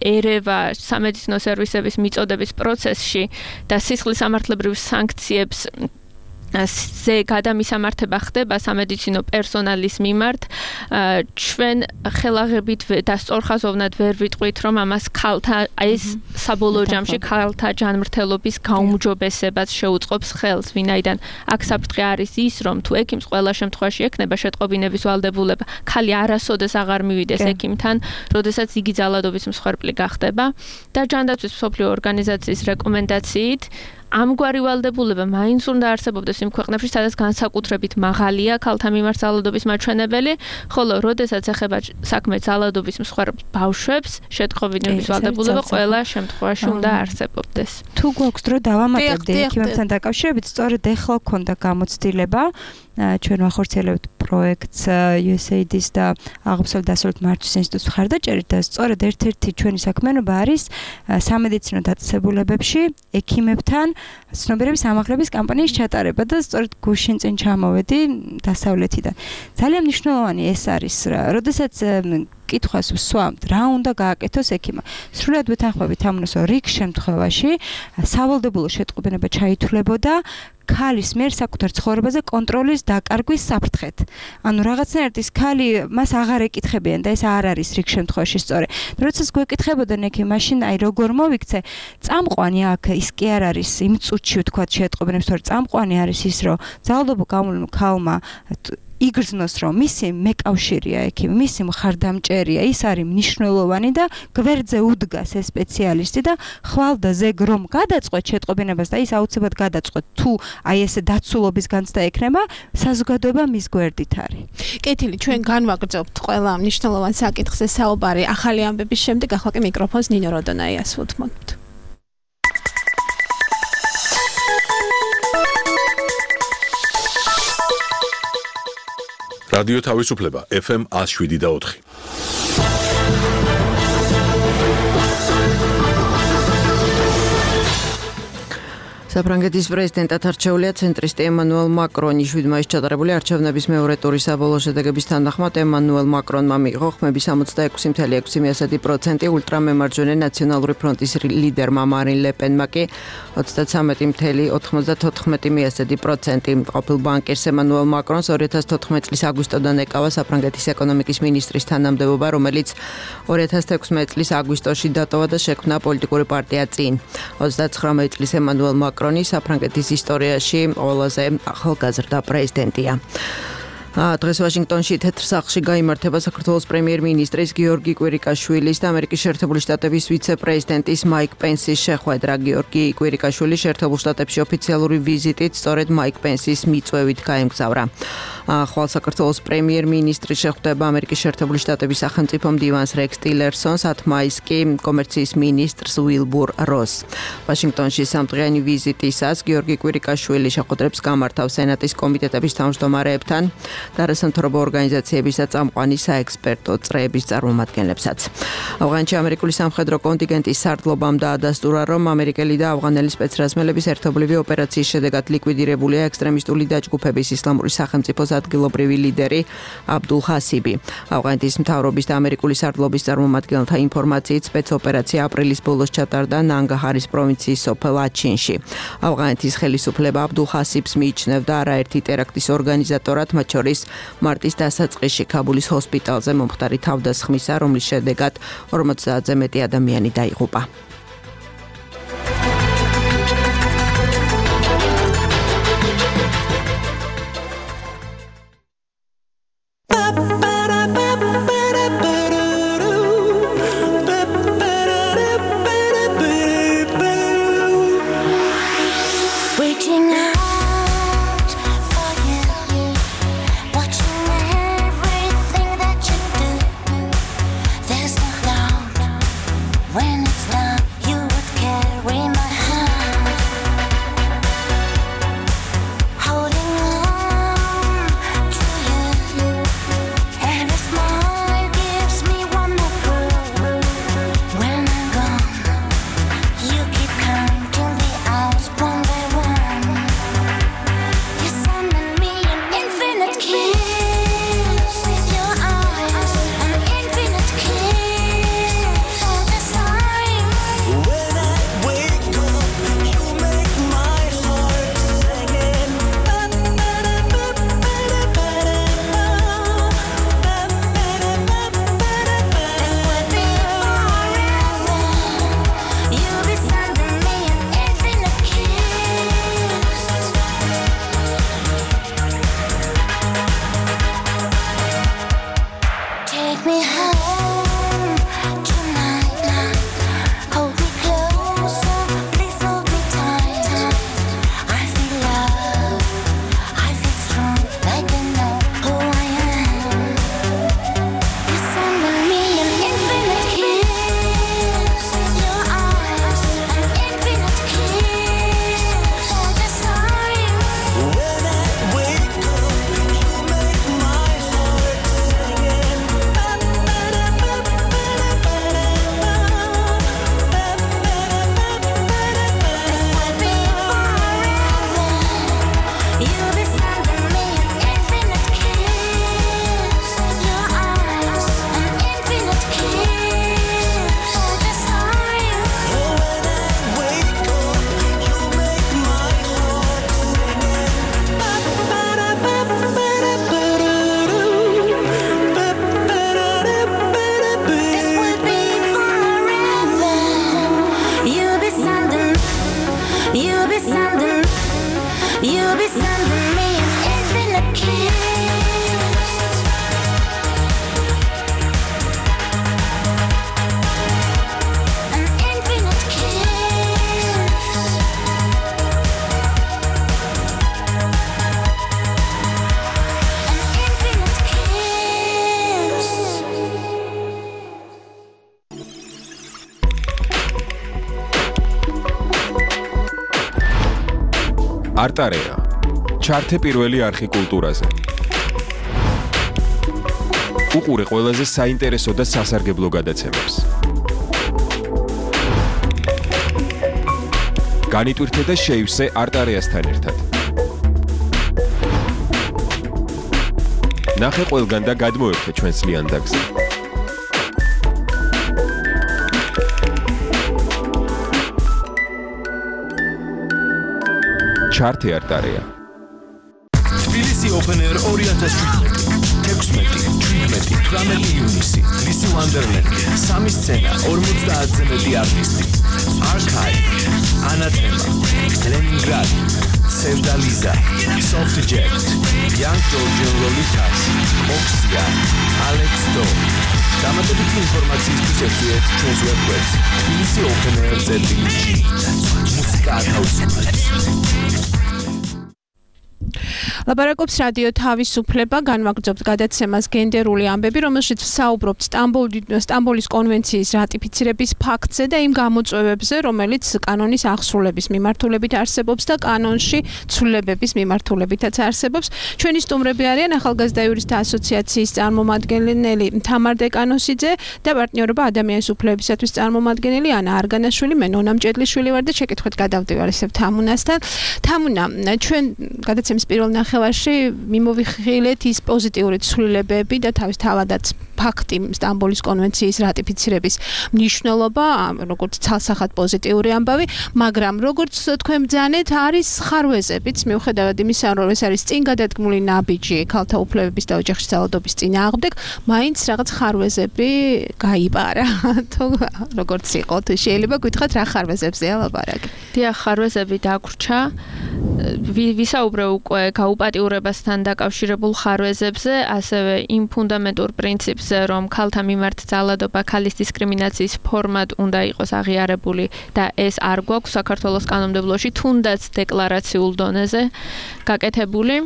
ერევა სამედიცინო სერვისების მიწოდების პროცესში და სისხლის სამართლებრივ სანქციებს ზე გადამისამართება ხდება სამედიცინო პერსონალის მიმართ ჩვენ ხელაღებით და სწორხაზოვნად ვერ ვიტყვით რომ ამას ქალთა ეს საბოლოო ჯამში ქალთა ჯანმრთელობის გაუმჯობესებას შეუწყობს ხელს ვინაიდან აქ საფრთხე არის ის რომ თუ ექიმს ყველა შემთხვევაში ექნება შეტყობინების ვალდებულება ქალი არასოდეს აღარ მივიდეს ექიმთან როდესაც იგი ძალადობის მსხვერპლი გახდება და ჯანდაცვის მსოფლიო ორგანიზაციის რეკომენდაციით ამგვარი ვალდებულება მაინც უნდა არსებობდეს იმ ქვეყნებში, სადაც განსაკუთრებით მაღალია ქალთა მიმართ ძალადობის მაჩვენებელი, ხოლო როდესაც ეხება საქმე ძალადობის მსხვერპლ ბავშვებს, შეტყობინების ვალდებულება ყველა შემთხვევაში უნდა არსებობდეს. თუ გვაქვს დრო დავამატებდი ექიმებთან დაკავშირებით, სწორედ ეხლა გქონდა გამოცდილება ჩვენ ვახორციელებთ პროექტს USAID-ის და აღმოსავლეთ დასავლეთ მართვის ინსტიტუტის მხარდაჭერით და სწორედ ერთ-ერთი ჩვენი საქმიანობა არის სამედიცინო დაწესებულებებში ექიმებთან ცნობიერების ამაღლების კამპანიის ჩატარება და სწორედ გუშინ წინ ჩამოვედი დასავლეთიდან. ძალიან მნიშვნელოვანი ეს არის, როდესაც კითხვას ვსვამთ, რა უნდა გააკეთოს ექიმმა. სრულად ვეთანხმებით ამას, რომ რიგ შემთხვევაში სავალდებულო შეტყობინება ჩაითვლებოდა ქალის მიერ საკუთარ ცხოვრებაზე კონტროლის დაკარგვის საფრთხეთ. ანუ რაღაცნაირად ის ქალი მას აღარ ეკითხებიან და ეს არ არის რიგ შემთხვევაში სწორი. როდესაც გვეკითხებოდნენ ექიმ, მაშინ აი როგორ მოვიქცე, წამყვანი აქ ის კი არ არის იმ წუთში ვთქვათ შეტყობინებს, თორე წამყვანი არის ის, რომ ძალადობა გამოვლენილ ქალმა იგრძნოს რომ მისი მეკავშირია ექიმი, მისი მხარდამჭერია, ის არის მნიშვნელოვანი და გვერდზე უდგას ეს სპეციალისტი და ხვალ და ზეგ რომ გადაწყვეტ შეტყობინებას და ის აუცილებლად გადაწყვეტ თუ აი ესე დაცულობის განცდა ექნება, საზოგადოება მის გვერდით არის. კეთილი, ჩვენ განვაგრძობთ ყველა მნიშვნელოვან საკითხზე საუბარი ახალი ამბების შემდეგ, ახლა კი მიკროფონს ნინო როდონაიას ვუთმობთ. რადიო თავისუფლება FM 107.4. საფრანგეთის პრეზიდენტად არჩეულია ცენტრისტი ემანუელ მაკრონი. 7 მაისს ჩატარებული არჩევნების მეორე ტურის საბოლოო შედეგების თანახმად ემანუელ მაკრონმა მიიღო ხმები 66.6%, ულტრამემარჯვენე ნაციონალური ფრონტის ლიდერმა მარინ ლე პენმა კი 33.94%. ყოფილ ბანკირს ემანუელ მაკრონს 2014 წლის აგვისტოდან ეკავა საფრანგეთის ეკონომიკის მინისტრის თანამდებობა, რომელიც 2016 წლის აგვისტოში დატოვა და შექმნა პოლიტიკური პარტია წინ. 39 წლის ემანუელ მაკრონი საფრანგეთის ისტორიაში ყველაზე ახალგაზრდა პრეზიდენტია. დღეს ვაშინგტონში თეთრ სახლში გაიმართება საქართველოს პრემიერ-მინისტრის გიორგი კვირიკაშვილის და ამერიკის შეერთებული შტატების ვიცე-პრეზიდენტის მაიკ პენსის შეხვედრა. გიორგი კვირიკაშვილი შეერთებულ შტატებში ოფიციალური ვიზიტით სწორედ მაიკ პენსის მიწვევით გაემგზავრა. ხვალ საქართველოს პრემიერ-მინისტრი შეხვდება ამერიკის შეერთებული შტატების სახელმწიფო მდივანს რექს ტილერსონს, 10 მაისს კი კომერციის მინისტრს უილბურ როსს. ვაშინგტონში სამდღიანი ვიზიტისას გიორგი კვირიკაშვილი შეხვედრებს გამართავს სენატის კომიტეტების თავმჯდომარეებთან და არასამთავრობო ორგანიზაციების და წამყვანი საექსპერტო წრეების წარმომადგენლებსაც. ავღანეთში ამერიკული სამხედრო კონტინგენტის სარდლობამ დაადასტურა, რომ ამერიკელი და ავღანელი სპეცრაზმელების ერთობლივი ოპერაციის შედეგად ლიკვიდირებულია ექსტრემისტული დაჯგუფების ისლამური სახელმწიფოს ადგილობრივი ლიდერი აბდულ ხასიბი. ავღანეთის მთავრობის და ამერიკული სარდლობის წარმომადგენელთა ინფორმაციით სპეცოპერაცია აპრილის ბოლოს ჩატარდა ნანგაჰარის პროვინციის სოფელ აჩინში. ავღანეთის ხელისუფლება აბდულ ხასიბს მიიჩნევდა არაერთი ტერაქტის ორგანიზატორად, მათ შორის მარტის დასაწყისში ქაბულის ჰოსპიტალზე მომხდარი თავდასხმისა, რომლის შედეგად 50-ზე მეტი ადამიანი დაიღუპა. be sending me an infinite kiss. An infinite kiss. An infinite kiss. არტარეა. ჩართე პირველი არხი კულტურაზე. უყურე ყველაზე საინტერესო და სასარგებლო გადაცემებს. განიტვირთე და შეივსე არტარეასთან ერთად. ნახე ყველგან და გადმოერთე ჩვენს ლიანდაგზე. ჩართე არტარეა. თბილისი Open Air 2017. 16-17 ივნისი. თბილისი Wonderland. 3 სცენა, 50-ზე მეტი არტისტი. Archive, Anathema, Leningrad, Sevdaliza, Soft Jet, Young Georgian Lolitas, Oxia, Alex Do. დამატებითი ინფორმაციისთვის ეწვიეთ ჩვენს ვებგვერდს tbilisi.openair.gr. მუსიკა ათავისუფლებს. ლაპარაკობს რადიო თავისუფლება, განვაგრძობთ გადაცემას გენდერული ამბები, რომელშიც ვსაუბრობთ სტამბოლის კონვენციის რატიფიცირების ფაქტზე და იმ გამოწვევებზე, რომელიც კანონის აღსრულების მიმართულებით არსებობს და კანონში ცვლილებების მიმართულებითაც არსებობს. ჩვენი სტუმრები არიან ახალგაზრდა იურისტთა ასოციაციის წარმომადგენელი თამარ დეკანოსიძე და პარტნიორობა ადამიანის უფლებებისათვის წარმომადგენელი ანა არგანაშვილი, მე ნონა მჭედლიშვილი ვარ და შეკითხვით გადავდივარ ისევ თამუნასთან. თამუნა, ჩვენ გადაცემის პირველ ნახევარში მიმოვიხილეთ ის პოზიტიური ცვლილებები და თავის თავადაც ფაქტი სტამბოლის კონვენციის რატიფიცირების მნიშვნელობა, როგორც ცალსახად პოზიტიური ამბავი, მაგრამ როგორც თქვენ ბრძანეთ, არის ხარვეზებიც, მიუხედავად იმისა, რომ ეს არის წინ გადადგმული ნაბიჯი ქალთა უფლებების და ოჯახში ძალადობის წინააღმდეგ, მაინც რაღაც ხარვეზები გაიპარა. თუ როგორც იყო, თუ შეიძლება გითხრათ რა ხარვეზებზეა ლაპარაკი? დიახ, ხარვეზები დაგვრჩა. ვისაუბრე უკვე გაუპატიურებასთან დაკავშირებულ ხარვეზებზე, ასევე იმ ფუნდამენტურ პრინციპზე, რომ ქალთა მიმართ ძალადობა ქალის დისკრიმინაციის ფორმად უნდა იყოს აღიარებული და ეს არ გვაქვს საქართველოს კანონმდებლობაში, თუნდაც დეკლარაციულ დონეზე გაკეთებული.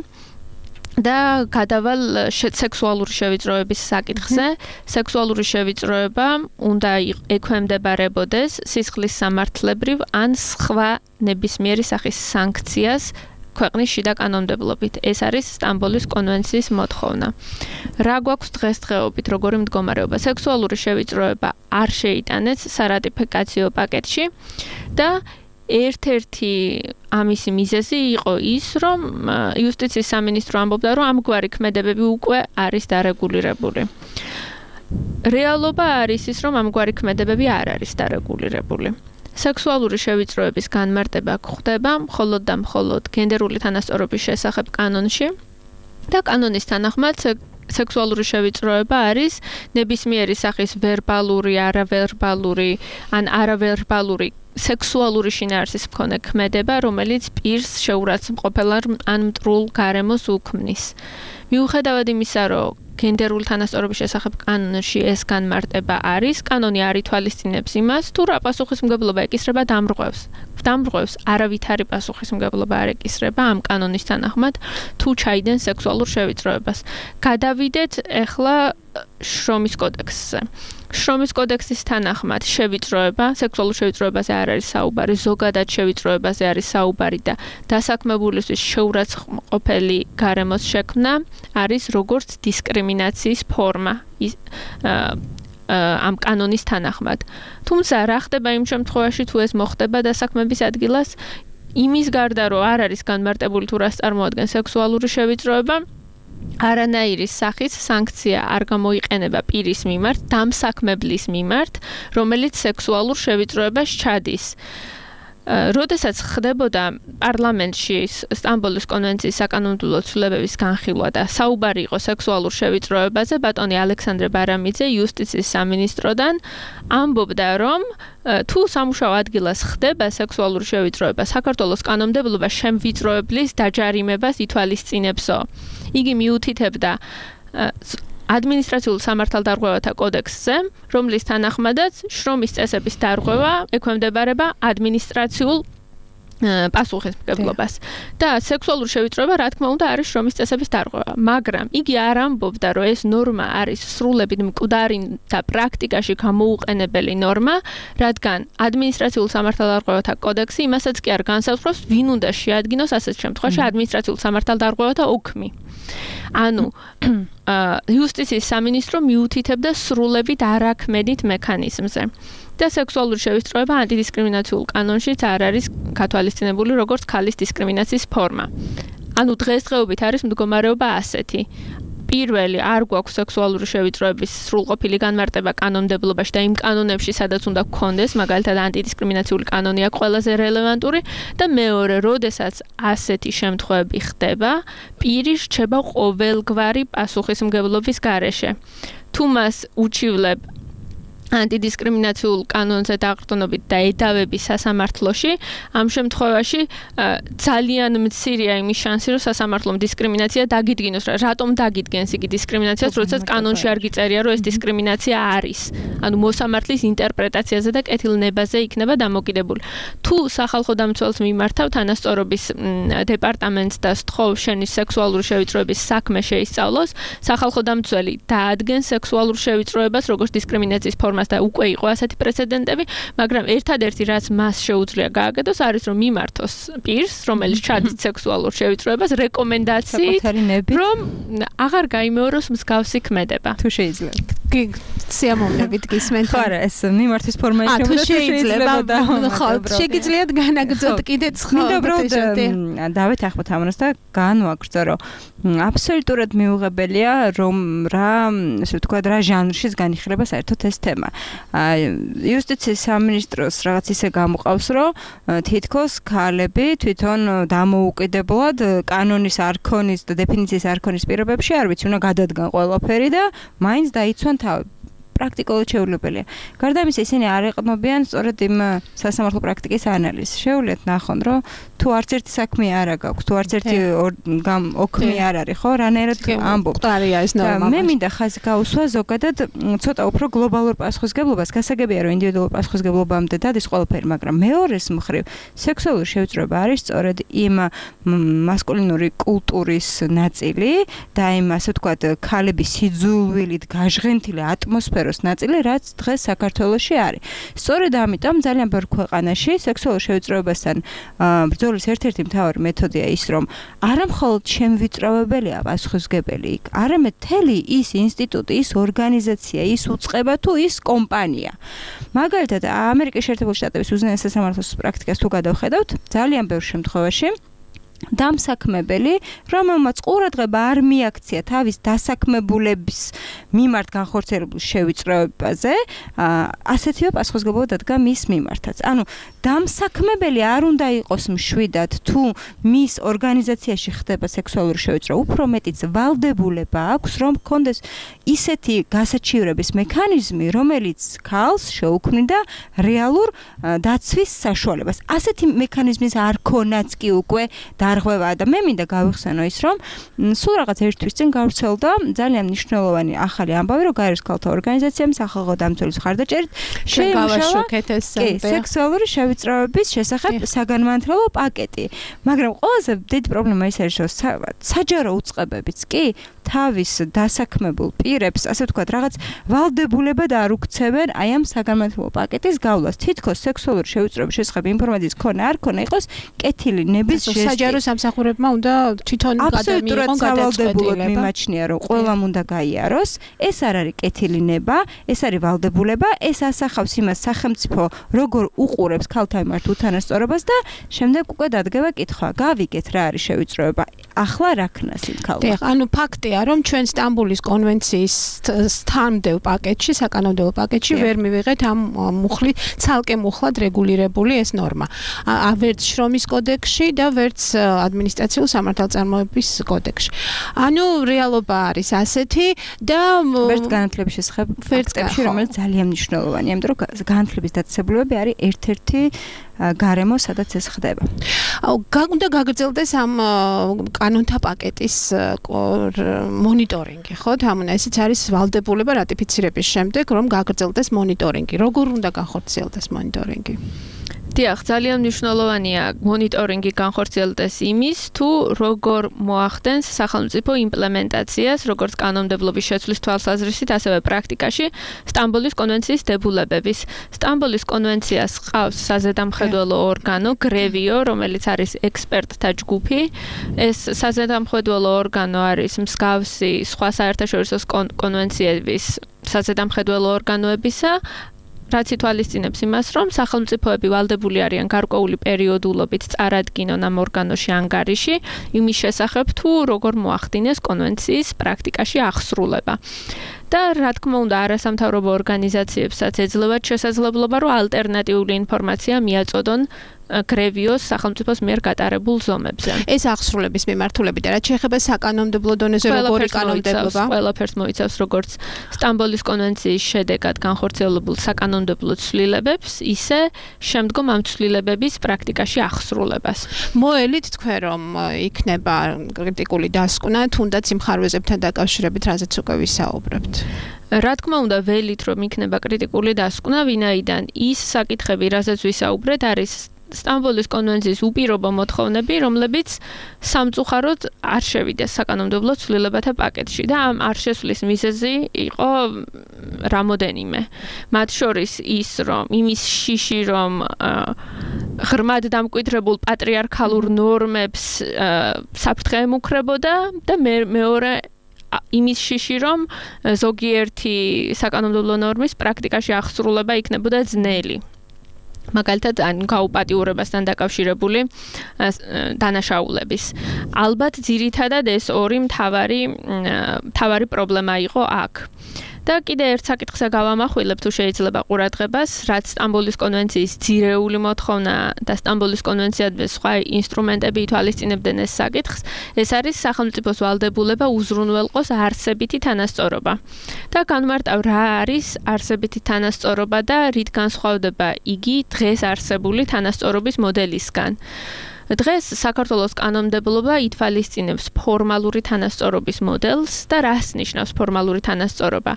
და გადავალ სექსუალური შევიწროების საკითხზე. სექსუალური შევიწროება უნდა ექვემდებარებოდეს სისხლის სამართლებრივ ან სხვა ნებისმიერი სახის სანქციას ქვეყნის შიდა კანონმდებლობით. ეს არის სტამბოლის კონვენციის მოთხოვნა. რა გვაქვს დღესდღეობით, როგორი მდგომარეობა? სექსუალური შევიწროება არ შეიტანეს სარატიფიკაციო პაკეტში და ერთ-ერთი ამისი მიზეზი იყო ის, რომ იუსტიციის სამინისტრო ამბობდა, რომ ამგვარი ქმედებები უკვე არის დარეგულირებული. რეალობა არის ის, რომ ამგვარი ქმედებები არ არის დარეგულირებული. სექსუალური შევიწროების განმარტება გვხდება მხოლოდ და მხოლოდ გენდერული თანასწორობის შესახებ კანონში და კანონის თანახმად სექსუალური შევიწროება არის ნებისმიერი სახის ვერბალური, არავერბალური ან არავერბალური სექსუალური შინაარსის მქონე ქმედება, რომელიც პირს შეურაცხმყოფელ ან მტრულ გარემოს უქმნის. მიუხედავად იმისა, რომ გენდერული თანასწორობის შესახებ კანონში ეს განმარტება არის, კანონი არ ითვალისწინებს იმას, თუ რა პასუხისმგებლობა ეკისრება დამრღვევს, არავითარი პასუხისმგებლობა არ ეკისრება ამ კანონის თანახმად, თუ ჩაიდენ სექსუალურ შევიწროებას. გადავიდეთ ახლა შრომის კოდექსზე. შრომის კოდექსის თანახმად შევიწროება, სექსუალურ შევიწროებაზე არ არის საუბარი, ზოგადად შევიწროებაზე არის საუბარი და დასაქმებულისთვის შეურაცხმყოფელი გარემოს შექმნა არის როგორც დისკრიმინაციის ფორმა ამ კანონის თანახმად. თუმცა რა ხდება იმ შემთხვევაში, თუ ეს მოხდება დასაქმების ადგილას, იმის გარდა რომ არ არის განმარტებული თუ რას წარმოადგენს სექსუალური შევიწროება, არანაირი სახის სანქცია არ გამოიყენება პირის მიმართ, დამსაქმებლის მიმართ, რომელიც სექსუალურ შევიწროებას ჩადის. როდესაც ხდებოდა პარლამენტში სტამბოლის კონვენციის საკანონმდებლო ცვლილებების განხილვა და საუბარი იყო სექსუალურ შევიწროებაზე, ბატონი ალექსანდრე ბარამიძე იუსტიციის სამინისტროდან ამბობდა, რომ თუ სამუშაო ადგილას ხდება სექსუალური შევიწროება, საქართველოს კანონმდებლობა შემვიწროებლის დაჯარიმებას ითვალისწინებსო. იგი მიუთითებდა ადმინისტრაციულ სამართალდარღვევათა კოდექსზე, რომლის თანახმადაც შრომის წესების დარღვევა ექვემდებარება ადმინისტრაციულ პასუხისმგებლობას. და სექსუალური შევიწროება, რა თქმა უნდა, არის შრომის წესების დარღვევა, მაგრამ იგი არ ამბობდა, რომ ეს ნორმა არის სრულებით მკვდარი და პრაქტიკაში გამოუყენებელი ნორმა, რადგან ადმინისტრაციულ სამართალდარღვევათა კოდექსი იმასაც კი არ განსაზღვრავს, ვინ უნდა შეადგინოს ასეთ შემთხვევაში ადმინისტრაციულ სამართალდარღვევათა ოქმი. ანუ იუსტიციის სამინისტრო მიუთითებდა სრულებით არაქმედით მექანიზმზე. და სექსუალური შევიწროება ანტიდისკრიმინაციულ კანონშიც არ არის გათვალისწინებული როგორც ქალის დისკრიმინაციის ფორმა. ანუ დღესდღეობით არის მდგომარეობა ასეთი. პირველი არ გვაქვს სექსუალური შევიწროების სრულყოფილი განმარტება კანონმდებლობაში და იმ კანონებში, სადაც უნდა გქონდეს, მაგალითად ანტიდისკრიმინაციული კანონი აქვს ყველაზე რელევანტური და მეორე, როდესაც ასეთი შემთხვევები ხდება, პირი რჩება ყოველგვარი პასუხისმგებლობის გარეშე. თუ მას უჩივლებ ანტიდისკრიმინაციულ კანონზე დაყრდნობით და ედავების სასამართლოში, ამ შემთხვევაში ძალიან მცირეა იმის შანსი, რომ სასამართლომ დისკრიმინაცია დაგიდგინოს. რატომ დაგიდგენს იგი დისკრიმინაციას, როდესაც კანონში არ გიწერია, რომ ეს დისკრიმინაცია არის. ანუ მოსამართლის ინტერპრეტაციაზე და კეთილნებაზე იქნება დამოკიდებული. თუ სახალხო დამცველს მიმართავ თანასწორობის დეპარტამენტს და სთხოვ შენი სექსუალური შევიწროების საქმე შეისწავლოს, სახალხო დამცველი დაადგენს სექსუალურ შევიწროებას როგორც დისკრიმინაციის ფორმა და უკვე იყო ასეთი პრეცედენტები, მაგრამ ერთადერთი რაც მას შეუძლია გააკეთოს არის რომ მიმართოს პირს, რომელიც ჩადის სექსუალურ შევიწროებას რეკომენდაციით, რომ აღარ გაიმეოროს მსგავსი ქმედება. თუ შეიძლება. სიამოვნებით გისმენთ. ხო არა, ეს მიმართვის ფორმა შეიძლება და ხო, შეგიძლიათ განაგრძოთ კიდეც ხო. მინდა უბრალოდ დავეთანხმოთ ამას და განვაგრძო, რომ აბსოლუტურად მიუღებელია, რომ ასე ვთქვათ, რა ჟანრშიც განიხილება საერთოდ ეს თემა. იუსტიციის სამინისტროს რაღაც ისე გამოყავს, რომ თითქოს ქალები თვითონ დამოუკიდებლად კანონის არქონის და დეფინიციის არქონის პირობებში არ ვიცი, უნდა გადადგან ყველაფერი და მაინც დაიცვან თავი. პრაქტიკულად შეუძლებელია. გარდა ამისა, ისინი არ ეყნობიან სწორედ იმ სასამართლო პრაქტიკის ანალიზს. შეუძლიათ ნახონ, რომ თუ არც ერთი საქმე არ აქვს, თუ არც ერთი ოქმი არ არის, ხო, რანაირად ამბობთ. მყარია ეს ნორმა. მე მინდა ხაზი გაუსვა ზოგადად ცოტა უფრო გლობალურ პასუხისგებლობას. გასაგებია, რომ ინდივიდუალურ პასუხისგებლობამდე დადის ყველაფერი, მაგრამ მეორეს მხრივ სექსუალური შევიწროება არის სწორედ იმ მასკულინური კულტურის ნაწილი და იმ ასე ვთქვათ, ქალების სიძულვილით გაჟღენთილი ატმოსფეროს ნაწილი, რაც დღეს საქართველოში არის. სწორედ ამიტომ ძალიან ბევრ ქვეყანაში სექსუალურ შევიწროებასთან ბრძოლის ერთ-ერთი მთავარი მეთოდია ის, რომ არა მხოლოდ შემვიწროვებელია პასუხისმგებელი, არამედ მთელი ის ინსტიტუტი, ის ორგანიზაცია, ის უწყება თუ ის კომპანია. მაგალითად, ამერიკის შეერთებული შტატების უზენაეს სასამართლოს პრაქტიკას თუ გადავხედავთ, ძალიან ბევრ შემთხვევაში დამსაქმებელი, რომელმაც ყურადღება არ მიაქცია თავის დასაქმებულების მიმართ განხორციელებულ შევიწროებაზე, ასეთივე პასუხისმგებლობა დადგა მის მიმართაც. ანუ დამსაქმებელი არ უნდა იყოს მშვიდად, თუ მის ორგანიზაციაში ხდება სექსუალური შევიწროება, უფრო მეტიც ვალდებულება აქვს, რომ ჰქონდეს ისეთი გასაჩივრების მექანიზმი, რომელიც ქალს შეუქმნიდა რეალურ დაცვის საშუალებას. ასეთი მექანიზმის არ ქონაც კი უკვე დარღვევა და მე მინდა გავიხსენო ის, რომ სულ რაღაც ერთ თვის წინ გავრცელდა ძალიან მნიშვნელოვანი ახალი ამბავი, რომ გაეროს ქალთა ორგანიზაციამ სახალხო დამცველის მხარდაჭერით შეიმუშავა სექსუალური შევიწროების შესახებ საგანმანათლებლო პაკეტი. მაგრამ ყველაზე დიდი პრობლემა ის არის, რომ საჯარო უწყებებიც კი თავის დასაქმებულ პირებს, ასე ვთქვათ, რაღაც ვალდებულებად არ უქცევენ აი ამ საგანმანათლებლო პაკეტის გავლას. თითქოს სექსუალური შევიწროების შესახებ ინფორმაციის ქონა არ ქონა იყოს კეთილი ნების ჟესტი. საჯარო სამსახურებმა უნდა თვითონ გადამიიღონ გადაწყვეტილება. მიმაჩნია, რომ ყველამ უნდა გაიაროს. ეს არ არის კეთილი ნება, ეს არის ვალდებულება, ეს ასახავს იმას სახელმწიფო როგორ უყურებს ქალთა მიმართ უთანასწორობას და შემდეგ უკვე დადგება კითხვა. გავიგეთ რა არის შევიწროება. ახლა რა ქნას იქალა. დიახ, ანუ ფაქტია, რომ ჩვენ სტამბოლის კონვენციის თანმდევ პაკეტში, საკანონმდებლო პაკეტში ვერ მივიღეთ ამ მუხლი ცალკე მუხლად რეგულირებული ეს ნორმა. ვერც შრომის კოდექსში და ვერც ადმინისტრაციულ სამართალწარმოების კოდექსში. ანუ რეალობა არის ასეთი და ვერც განათლების შესახებ ფაქტებში, რომელიც ძალიან მნიშვნელოვანია, იმიტომ რომ განათლების დაწესებულებები არის ერთ-ერთი გარემო, სადაც ეს ხდება. უნდა გაგრძელდეს ამ კანონთა პაკეტის მონიტორინგი, ხო? თამუნა, ესეც არის ვალდებულება რატიფიცირების შემდეგ, რომ გაგრძელდეს მონიტორინგი. როგორ უნდა განხორციელდეს მონიტორინგი? დიახ, ძალიან მნიშვნელოვანია მონიტორინგი განხორციელდეს იმის, თუ როგორ მოახდენს სახელმწიფო იმპლემენტაციას, როგორც კანონმდებლობის შეცვლის თვალსაზრისით, ასევე პრაქტიკაში სტამბოლის კონვენციის დებულებების. სტამბოლის კონვენციას ყავს საზედამხედველო ორგანო GREVIO, რომელიც არის ექსპერტთა ჯგუფი. ეს საზედამხედველო ორგანო არის მსგავსი სხვა საერთაშორისო კონვენციების საზედამხედველო ორგანოებისა, რაც ითვალისწინებს იმას, რომ სახელმწიფოები ვალდებული არიან გარკვეული პერიოდულობით წარადგინონ ამ ორგანოში ანგარიში იმის შესახებ, თუ როგორ მოახდინეს კონვენციის პრაქტიკაში აღსრულება. და რა თქმა უნდა, არასამთავრობო ორგანიზაციებსაც ეძლევათ შესაძლებლობა, რომ ალტერნატიული ინფორმაცია მიაწოდონ GREVIO-ს სახელმწიფოს მიერ გატარებულ ზომებზე. ეს აღსრულების მიმართულებით და რაც შეეხება საკანონმდებლო დონეზე როგორი კანონმდებლობა? ყველაფერს მოიცავს როგორც სტამბოლის კონვენციის შედეგად განხორციელებულ საკანონმდებლო ცვლილებებს, ისე შემდგომ ამ ცვლილებების პრაქტიკაში აღსრულებას. მოელით თქვენ რომ იქნება კრიტიკული დასკვნა, თუნდაც იმ ხარვეზებთან დაკავშირებით, რაზეც უკვე ვისაუბრებთ. რა თქმა უნდა, ველით რომ იქნება კრიტიკული დასკვნა, ვინაიდან ის საკითხები, რაზეც ვისაუბრეთ, არის სტამბოლის კონვენციის უპირობო მოთხოვნები, რომლებიც სამწუხაროდ არ შევიდეს საკანონმდებლო ცვლილებათა პაკეტში და ამ არ შესვლის მიზეზი იყო რამოდენიმე. მათ შორის ის, რომ იმის შიში, რომ ღრმად დამკვიდრებულ პატრიარქალურ ნორმებს საფრთხე ემუქრებოდა და მეორე იმის შიში, რომ ზოგიერთი საკანონმდებლო ნორმის პრაქტიკაში აღსრულება იქნებოდა ძნელი. მაგალითად, გაუპატიურებასთან დაკავშირებული დანაშაულების. ალბათ ძირითადად ეს ორი მთავარი პრობლემა იყო აქ. და კიდე ერთ საკითხზე გავამახვილებ თუ შეიძლება ყურადღებას, რაც სტამბოლის კონვენციის ძირეული მოთხოვნა და სტამბოლის კონვენციადმე სხვა ინსტრუმენტები ითვალისწინებდნენ ეს საკითხს, ეს არის სახელმწიფოს ვალდებულება უზრუნველყოს არსებითი თანასწორობა. და განმარტავ რა არის არსებითი თანასწორობა და რით განსხვავდება იგი დღეს არსებული თანასწორობის მოდელისგან. დღეს საქართველოს კანონმდებლობა ითვალისწინებს ფორმალური თანასწორობის მოდელს და რას ნიშნავს ფორმალური თანასწორობა?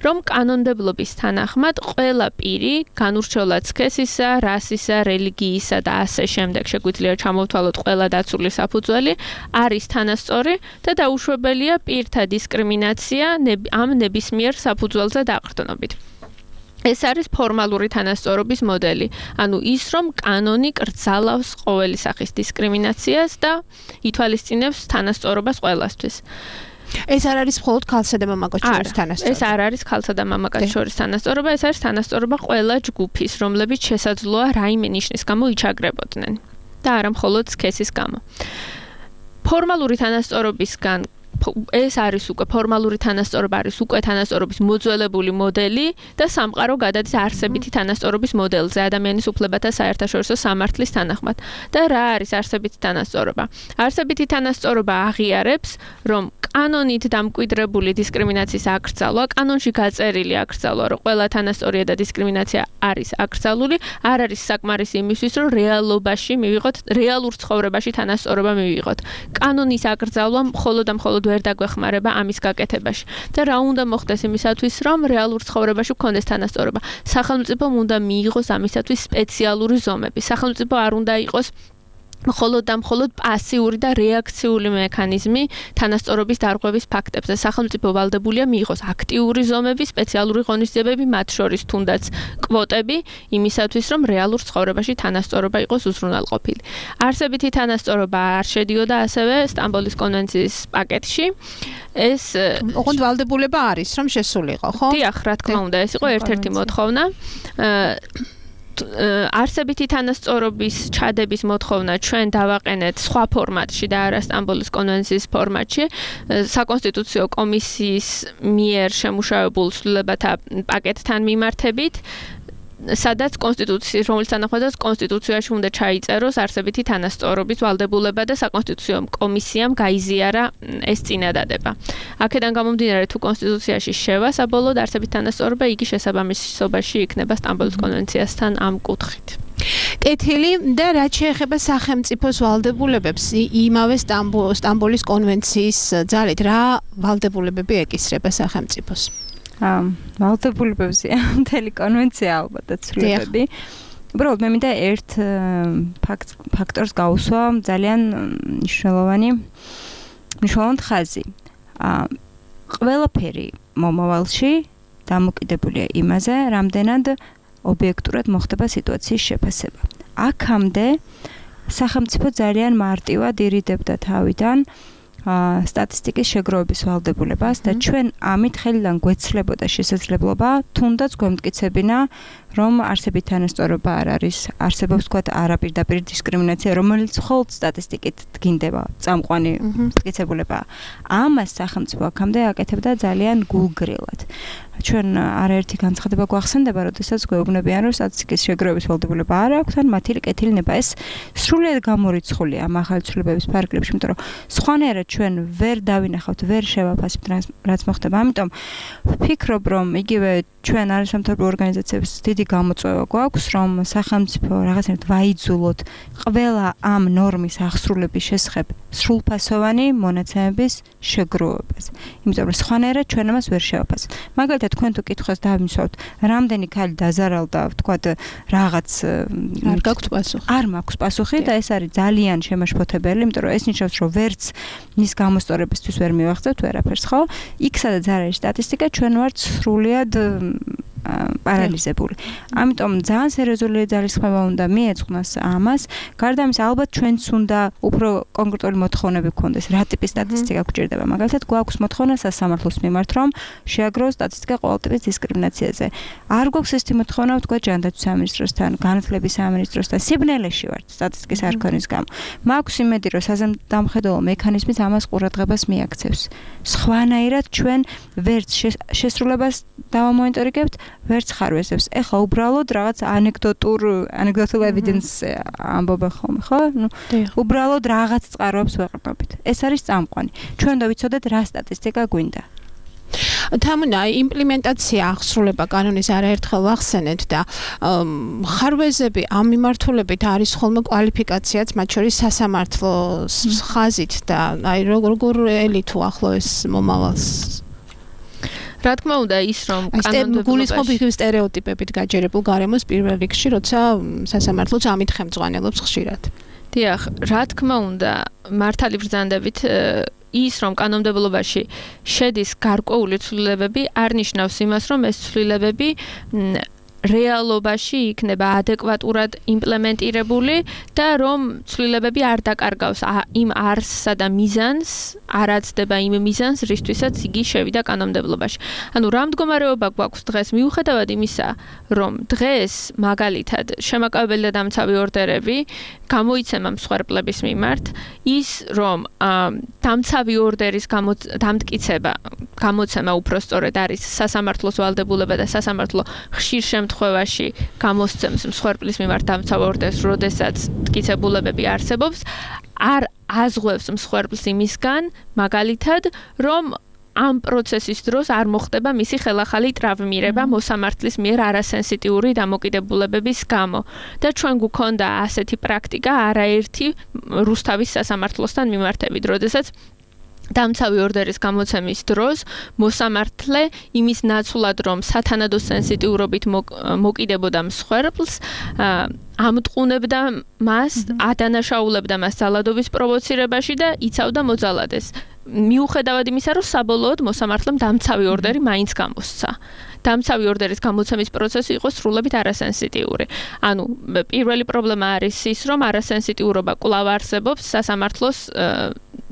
რომ კანონმდებლობის თანახმად ყველა პირი, განურჩევლად სქესისა, რასისა, რელიგიისა და ასე შემდეგ, შეგვიძლია ჩამოვთვალოთ ყველა დაცული საფუძველი, არის თანასწორი და დაუშვებელია პირთა დისკრიმინაცია ამ ნებისმიერ საფუძველზე დაყრდნობით. ეს არის ფორმალური თანასწორობის მოდელი. ანუ ის, რომ კანონი კრძალავს ყოველი სახის დისკრიმინაციას და ითვალისწინებს თანასწორობას ყველასთვის. ეს არ არის მხოლოდ ქალსა და მამაკაც შორის თანასწორობა. ეს არ არის ქალსა და მამაკაც შორის თანასწორობა, ეს არის თანასწორობა ყველა ჯგუფის, რომლებიც შესაძლოა რაიმე ნიშნის გამო იჩაგრებოდნენ და არა მხოლოდ სქესის გამო. ფორმალური თანასწორობისგან ეს არის უკვე ფორმალური თანასწორობა არის უკვე თანასწორობის მოძველებული მოდელი და სამყარო გადადის არსებითი თანასწორობის მოდელზე ადამიანის უფლებათა საერთაშორისო სამართლის თანახმად. და რა არის არსებითი თანასწორობა? არსებითი თანასწორობა აღიარებს, რომ კანონით დამკვიდრებული დისკრიმინაციის აკრძალვა, კანონში გაწერილი აკრძალვა, რომ ყველა თანასწორია და დისკრიმინაცია არის აკრძალული, არ არის საკმარისი იმისთვის, რომ რეალობაში მივიღოთ, რეალურ ცხოვრებაში თანასწორობა მივიღოთ. კანონის აკრძალვა მხოლოდ და მხოლოდ ვერ დაგვეხმარება ამის გაკეთებაში. და რა უნდა მოხდეს იმისათვის, რომ რეალურ ცხოვრებაში გქონდეს თანასწორობა? სახელმწიფომ უნდა მიიღოს ამისათვის სპეციალური ზომები. სახელმწიფო არ უნდა იყოს მხოლოდ და მხოლოდ პასიური და რეაქციული მექანიზმი თანასწორობის დარღვევის ფაქტებზე. სახელმწიფო ვალდებულია მიიღოს აქტიური ზომები, სპეციალური ღონისძიებები, მათ შორის თუნდაც კვოტები, იმისათვის, რომ რეალურ ცხოვრებაში თანასწორობა იყოს უზრუნველყოფილი. არსებითი თანასწორობა არ შედიოდა ასევე სტამბოლის კონვენციის პაკეტში. ეს ოღონდ ვალდებულება არის, რომ შესულიყო, ხო? დიახ, რა თქმა უნდა, ეს იყო ერთ-ერთი მოთხოვნა. არსებითი თანასწორობის ჩადების მოთხოვნა ჩვენ დავაყენეთ სხვა ფორმატში და არა სტამბოლის კონვენციის ფორმატში, საკონსტიტუციო კომისიის მიერ შემუშავებულ ცვლილებათა პაკეტთან მიმართებით, სადაც კონსტიტუციის, რომელიც თანახმადაც კონსტიტუციაში უნდა ჩაიწეროს არსებითი თანასწორობის ვალდებულება და საკონსტიტუციო კომისიამ გაიზიარა ეს წინადადება. აქედან გამომდინარე, თუ კონსტიტუციაში შევა საბოლოოდ არსებითი თანასწორობა, იგი შესაბამისობაში იქნება სტამბოლის კონვენციასთან ამ კუთხით. კეთილი და რაც შეეხება სახელმწიფოს ვალდებულებებს, იმავე სტამბოლის კონვენციის ძალით რა ვალდებულებები ეკისრება სახელმწიფოს? ვალდებულებებზე მთელი კონვენცია ალბათ და ცვლილებები. უბრალოდ მე მინდა ერთ ფაქტორს გავუსვა ძალიან მნიშვნელოვანი ხაზი. ყველაფერი მომავალში დამოკიდებულია იმაზე, რამდენად ობიექტურად მოხდება სიტუაციის შეფასება. აქამდე სახელმწიფო ძალიან მარტივად ირიდებდა თავიდან სტატისტიკის შეგროვების ვალდებულებას და ჩვენ ამით ხელიდან გვეცლებოდა შესაძლებლობა თუნდაც გვემტკიცებინა, რომ არსებითი თანასწორობა არ არის, არსებობს თქვათ არაპირდაპირ დისკრიმინაცია, რომელიც მხოლოდ სტატისტიკით დგინდება, წამყვანი მტკიცებულება. ამას სახელმწიფო აქამდე აკეთებდა ძალიან გულგრილად. ჩვენ არაერთი განცხადება გვახსენდება, როდესაც გვეუბნებიან, რომ სტატისტიკის შეგროვების ვალდებულება არ აქვთ, ან მათი კეთილინება ეს სრულიად გამორიცხულია ამ ახალი ცვლილებების ფარგლებში, იმიტომ რომ სხვანაირად ჩვენ ვერ დავინახავთ, ვერ შევაფასებთ რაც მოხდება. ამიტომ ვფიქრობ, რომ იგივე ჩვენ არასამთავრობო ორგანიზაციებს დიდი გამოწვევა გვაქვს, რომ სახელმწიფო რაღაცნაირად ვაიძულოთ ყველა ამ ნორმის აღსრულების შესახებ სრულფასოვანი მონაცემების შეგროვებას. იმიტომ რომ სხვანაირად ჩვენ ამას ვერ შევაფასებთ. მაგალითად, თქვენ თუ კითხვას დავიმსვავთ, რამდენი ქალი დაზარალდა, ვთქვათ, რაღაც არ გაქვთ პასუხი. არ მაქვს პასუხი და ეს არის ძალიან შემაშფოთებელი, იმიტომ რომ ეს ნიშნავს, რომ ვერც მის გამოსწორებისთვის ვერ მივახცევთ ვერაფერს, ხო? იქ სადაც არ არის სტატისტიკა, ჩვენ ვართ სრულიად პარალიზებული. ამიტომ ძალიან სერიოზული ძალისხმევა უნდა მიეძღვნას ამას. გარდა ამისა, ალბათ ჩვენც უნდა უფრო კონკრეტული მოთხოვნები გქონდეს, რა ტიპის სტატისტიკა გვჭირდება. მაგალითად, გვაქვს მოთხოვნა სასამართლოს მიმართ, რომ შეაგროვოს სტატისტიკა ყოველ ტიპის დისკრიმინაციაზე. არ გვაქვს ესეთი მოთხოვნა, ვთქვათ, ჯანდაცვის სამინისტროსთან, განათლების სამინისტროსთან, სიბნელეში ვართ სტატისტიკის არ ქონის გამო. მაქვს იმედი, რომ საზემდამხედველო მექანიზმით ამას ყურადღებას მიაქცევს. სხვანაირად ჩვენ ვერც შესრულებას დავამონიტორინგებთ, ვერც ხარვეზებს. ეხლა უბრალოდ რაღაც ანეკდოტულ evidence ამბობენ ხოლმე, ხო? უბრალოდ რაღაც წყაროებს ვეყრდნობით. ეს არის წამყვანი. ჩვენ უნდა ვიცოდეთ რა სტატისტიკა გვინდა. თამუნა იმპლემენტაცია აღსრულება კანონის არაერთხელ ვახსენეთ და ხარვეზები ამ მიმართულებით არის ხოლმე კვალიფიკაციაც მათ შორის სასამართლოს ხაზით და აი როგორ ელითუ ახლო ეს მომავალს. რა თქმა უნდა ის რომ კანონმდებლობაში გულისხმობ იგივე სტერეოტიპებით გაჯერებულ გარემოს პირველ რიგში, როცა სასამართლოც ამით ხელმძღვანელობს ხშირად. დიახ, რა თქმა უნდა, მართალი ბრძანდებით ის რომ კანონმდებლობაში შედის გარკვეული ცვლილებები არ ნიშნავს იმას, რომ ეს ცვლილებები რეალობაში იქნება ადეკვატურად იმპლემენტირებული და რომ ცვლილებები არ დაკარგავს იმ არსსა და მიზანს, არ აცდება იმ მიზანს, რისთვისაც იგი შევიდა კანონმდებლობაში. ანუ რა მდგომარეობა გვაქვს დღეს მიუხედავად იმისა, რომ დღეს მაგალითად შემაკავებელი და დამცავი ორდერები გამოიცემა მსხვერპლების მიმართ, ის რომ დამცავი ორდერის გამოცემა უпростоრედ არის სასამართლოს ვალდებულება და სასამართლო ხშირ შემთხვევაში გამოსცემს მსხვერპლის მიმართ დამცავ ორდერს, როდესაც მტკიცებულებები არსებობს, არ აზღვევს მსხვერპლს იმისგან, მაგალითად, რომ ამ პროცესის დროს არ მოხდება მისი ხელახალი ტრავმირება მოსამართლის მიერ არასენსიტიური დამოკიდებულებების გამო. და ჩვენ გვქონდა ასეთი პრაქტიკა არაერთი რუსთავის სასამართლოსთან მიმართებით, როდესაც დამცავი ორდერის გამოცემის დროს მოსამართლე იმის ნაცვლად, რომ სათანადო სენსიტიურობით მოკიდებოდა მსხვერპლს, ამტყუნებდა მას, ადანაშაულებდა მას ძალადობის პროვოცირებაში და იცავდა მოძალადეს. მიუხედავად იმისა, რომ საბოლოოდ მოსამართლემ დამცავი ორდერი მაინც გამოსცა. დამცავი ორდერის გამოცემის პროცესი იყო სრულებით არასენსიტიური. ანუ პირველი პრობლემა არის ის, რომ არასენსიტიურობა კვლავ არსებობს სასამართლოს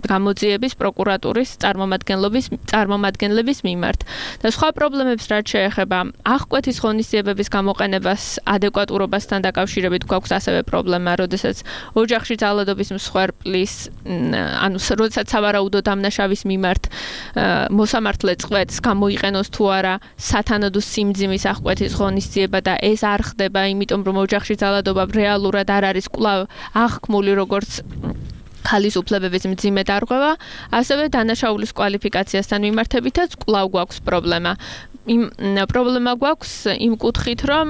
გამოძიების პროკურატურის წარმომადგენლების მიმართ. და სხვა პრობლემებს რაც შეეხება აღკვეთის ღონისძიებების გამოყენებას ადეკვატურობასთან დაკავშირებით გვაქვს ასევე პრობლემა, როდესაც ოჯახში ძალადობის მსხვერპლის, ანუ როდესაც სავარაუდო დამნაშავის მიმართ მოსამართლე წყვეტს გამოიყენოს თუ არა სათანადო სიმძიმის აღკვეთის ღონისძიება და ეს არ ხდება, იმიტომ რომ ოჯახში ძალადობა რეალურად არ არის კვლავ აღქმული როგორც ხალის უფლებების მძიმე დარღვევა, ასევე დანაშაულის კვალიფიკაციასთან მიმართებითაც კვლავ გვაქვს პრობლემა. პრობლემა გვაქვს იმ კუთხით, რომ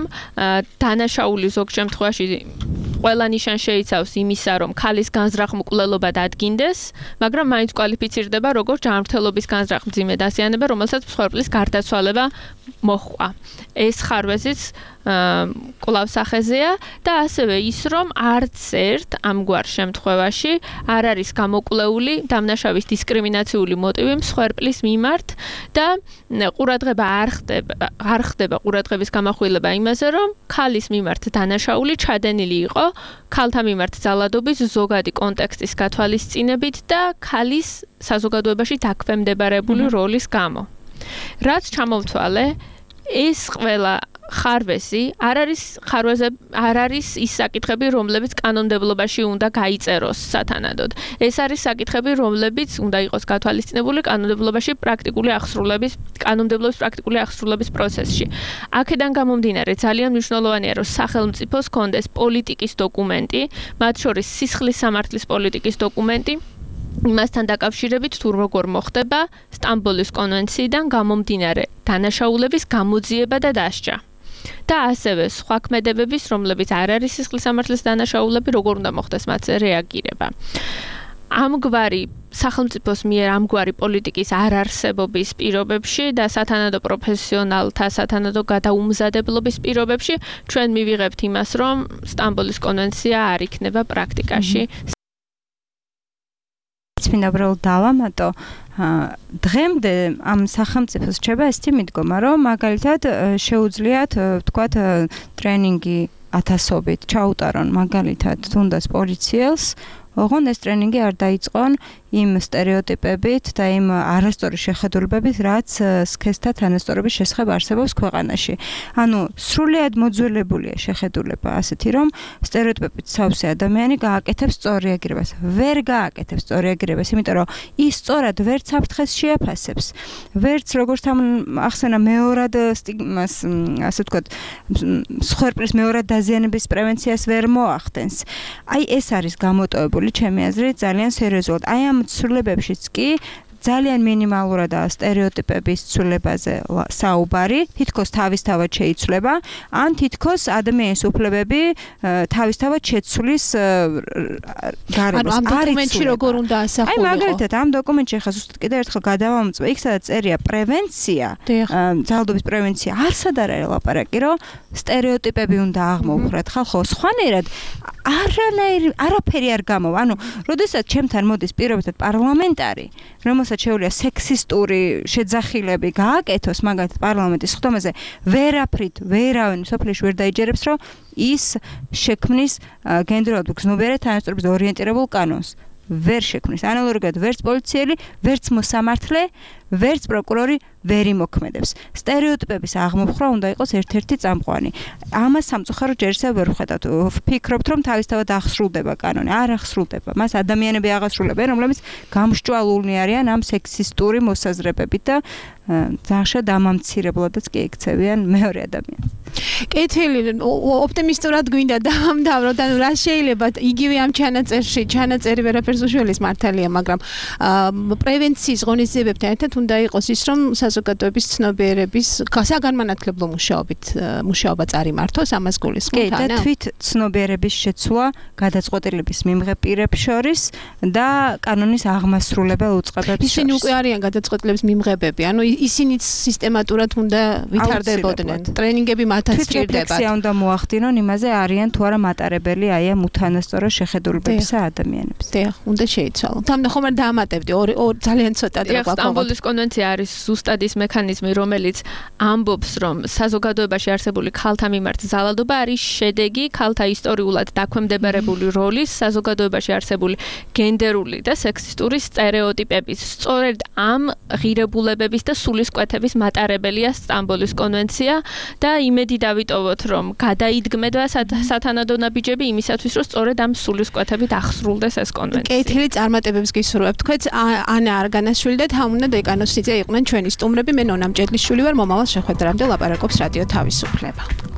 დანაშაული ზოგ შემთხვევაში ყველა ნიშან შეიცავს იმისა, რომ ხალის განზრახ-მკვლელობა დადგინდეს, მაგრამ მაინც კვალიფიცირდება როგორც ჯანმრთელობის განზრახ-მძიმე დაზიანება, რომელსაც მსხვერპლის გარდაცვალება მოჰყვა. ეს ხარვეზიც კვლავ სახეზეა და ასევე ის, რომ არც ერთ ამგვარ შემთხვევაში არ არის გამოკვლეული დამნაშავის დისკრიმინაციული მოტივი მსხვერპლის მიმართ და ყურადღება არ ხდება ყურადღების გამახვილება იმაზე, რომ ხალის მიმართ დანაშაული ჩადენილი იყო ხალთა მიმართ ძალადობის ზოგადი კონტექსტის გათვალისწინებით და ხალის საზოგადოებაში დაქვემდებარებული როლის გამო. რაც ჩამოვთვალე, ეს ყველა ხარვეზი არ არის ის საკითხები, რომლებიც კანონმდებლობაში უნდა გაიწეროს სათანადოდ. ეს არის საკითხები, რომლებიც უნდა იყოს გათვალისწინებული კანონმდებლობის პრაქტიკული აღსრულების პროცესში. აქედან გამომდინარე, ძალიან მნიშვნელოვანია, რომ სახელმწიფოს ჰქონდეს პოლიტიკის დოკუმენტი, მათ შორის სისხლის სამართლის პოლიტიკის დოკუმენტი, იმასთან დაკავშირებით თუ როგორ მოხდება სტამბოლის კონვენციიდან გამომდინარე დანაშაულების გამოძიება და დასჯა. და ასევე სხვა ქმედებების, რომლებიც არ არის სისხლის სამართლის დანაშაულები, როგორ უნდა მოხდეს მათზე რეაგირება. ამგვარი სახელმწიფოს მიერ ამგვარი პოლიტიკის არარსებობის პირობებში და სათანადო პროფესიონალთა სათანადო გადაუმზადებლობის პირობებში ჩვენ მივიღებთ იმას, რომ სტამბოლის კონვენცია არ იქნება პრაქტიკაში. მინდა უბრალოდ დავამატო, დღემდე ამ სახელმწიფოს რჩება ესეთი მიდგომა, რომ მაგალითად შეუძლიათ ვთქვათ ტრენინგი ათასობით ჩაუტარონ მაგალითად თუნდაც პოლიციელს, ოღონდ ეს ტრენინგი არ დაიწყონ იმ სტერეოტიპებით და იმ არასწორი შეხედულებებით, რაც სქესთა თანასწორობის შესახებ არსებობს ქვეყანაში. ანუ სრულიად მოძველებულია შეხედულება ასეთი, რომ სტერეოტიპებით სავსე ადამიანი გააკეთებს სწორ რეაგირებას. ვერ გააკეთებს სწორ რეაგირებას, იმიტომ რომ ის სწორად ვერც საფრთხეს შეაფასებს, ვერც როგორც ახსენა მეორად სტიგმას, ასე ვთქვათ, მსხვერპლის მეორად დაზიანების პრევენციას ვერ მოახდენს. აი ეს არის გამოტოვებული ჩემი აზრით ძალიან სერიოზულად. აი ამ ცვლილებებშიც კი ძალიან მინიმალურადაა სტერეოტიპების ცვლილებაზე საუბარი, თითქოს თავისთავად შეიცვლება, ან თითქოს ადამიანის უფლებები თავისთავად შეცვლის გარემოს. ამ დოკუმენტში როგორ უნდა ასახულიყო? აი მაგალითად ამ დოკუმენტში ახლა ზუსტად კიდევ ერთხელ გადავამოწმე, იქ სადაც წერია პრევენცია, ძალადობის პრევენცია, არსად არ არის ლაპარაკი, რომ სტერეოტიპები უნდა აღმოუხრათ ხალხო, სხვანაირად არაფერი არ გამოვა. ანუ, როდესაც ჩემთან მოდის პირობითად პარლამენტარი, რომელსაც შეუძლია სექსისტური შეძახილები გააკეთოს მაგალითად პარლამენტის ხდომაზე, ვერავინ სოფლიოში ვერ დაიჯერებს, რომ ის შექმნის გენდერულად გზნობიარე თანასწორობის ორიენტირებულ კანონს. ვერ შექმნის. ანალოგიურად ვერც პოლიციელი, ვერც მოსამართლე, ვერც პროკურორი ვერ იმოქმედებს. სტერეოტიპების აღმოფხვრა უნდა იყოს ერთ-ერთი წამყვანი. ამას სამწუხაროდ ჯერ ისევ ვერ ვხედავთ. ვფიქრობთ, რომ თავისთავად აღსრულდება კანონი. არ აღსრულდება. მას ადამიანები აღასრულებენ, რომლებიც გამსჭვალულნი არიან ამ სექსისტური მოსაზრებებით და ძალიან დამამცირებლადაც კი ექცევიან მეორე ადამიანს. კეთილი, ოპტიმისტურად გვინდა დავამთავროთ, ანუ რა შეიძლება იგივე ამ ჩანაწერი ვერაფერს უშველის მართალია, მაგრამ პრევენციის ღონისძიებებთან ერთად უნდა იყოს ის, რომ საზოგადოების ცნობიერების საგანმანათლებლო მუშაობა წარიმართოს, ამას გულისხმობთ, და თვით ცნობიერების შეცვლა გადაწყვეტილების მიმღებ პირებს შორის და კანონის აღმასრულებელ უწყებებს შორის. ისინი უკვე არიან გადაწყვეტილების მიმღებები, ანუ ისინიც სისტემატურად უნდა ვითარდებოდნენ. ტრენინგები მათაც სჭირდებათ. რეფლექსია უნდა მოახდინონ იმაზე, არიან თუ არა მატარებელი აი ამ უთანასწორო შეხედულებებისა ადამიანებს. დიახ, უნდა შეიცვალონ. თამდა ხომ არ დაამატებდი, ორი ძალიან ცოტა დრო გვაქვს. სტამბოლის კონვენცია არის ზუსტად ის მექანიზმი, რომელიც ამბობს, რომ საზოგადოებაში არსებული ქალთა მიმართ ზალადობა არის შედეგი ქალთა ისტორიულად დაქვემდებარებული როლის, საზოგადოებაში არსებული გენდერული და სექსისტური სტერეოტიპების. სწორედ ამ ღირებულებების და სულისკვეთების მატარებელია სტამბოლის კონვენცია და იმედი დავიტოვოთ, რომ გადაიდგმება სათანადო ნაბიჯები იმისათვის, რომ სწორედ ამ სულისკვეთებით აღსრულდეს ეს კონვენცია. კეთილი წარმატებებს გისურვებთ. თქვენც ანა არგანაშვილი და თამუნა დეკანოსიძე იყვნენ ჩვენი სტუმრები. მე ნონა მჭედლიშვილი ვარ. მომავალ შეხვედრამდე ლაპარაკობს რადიო თავისუფლება.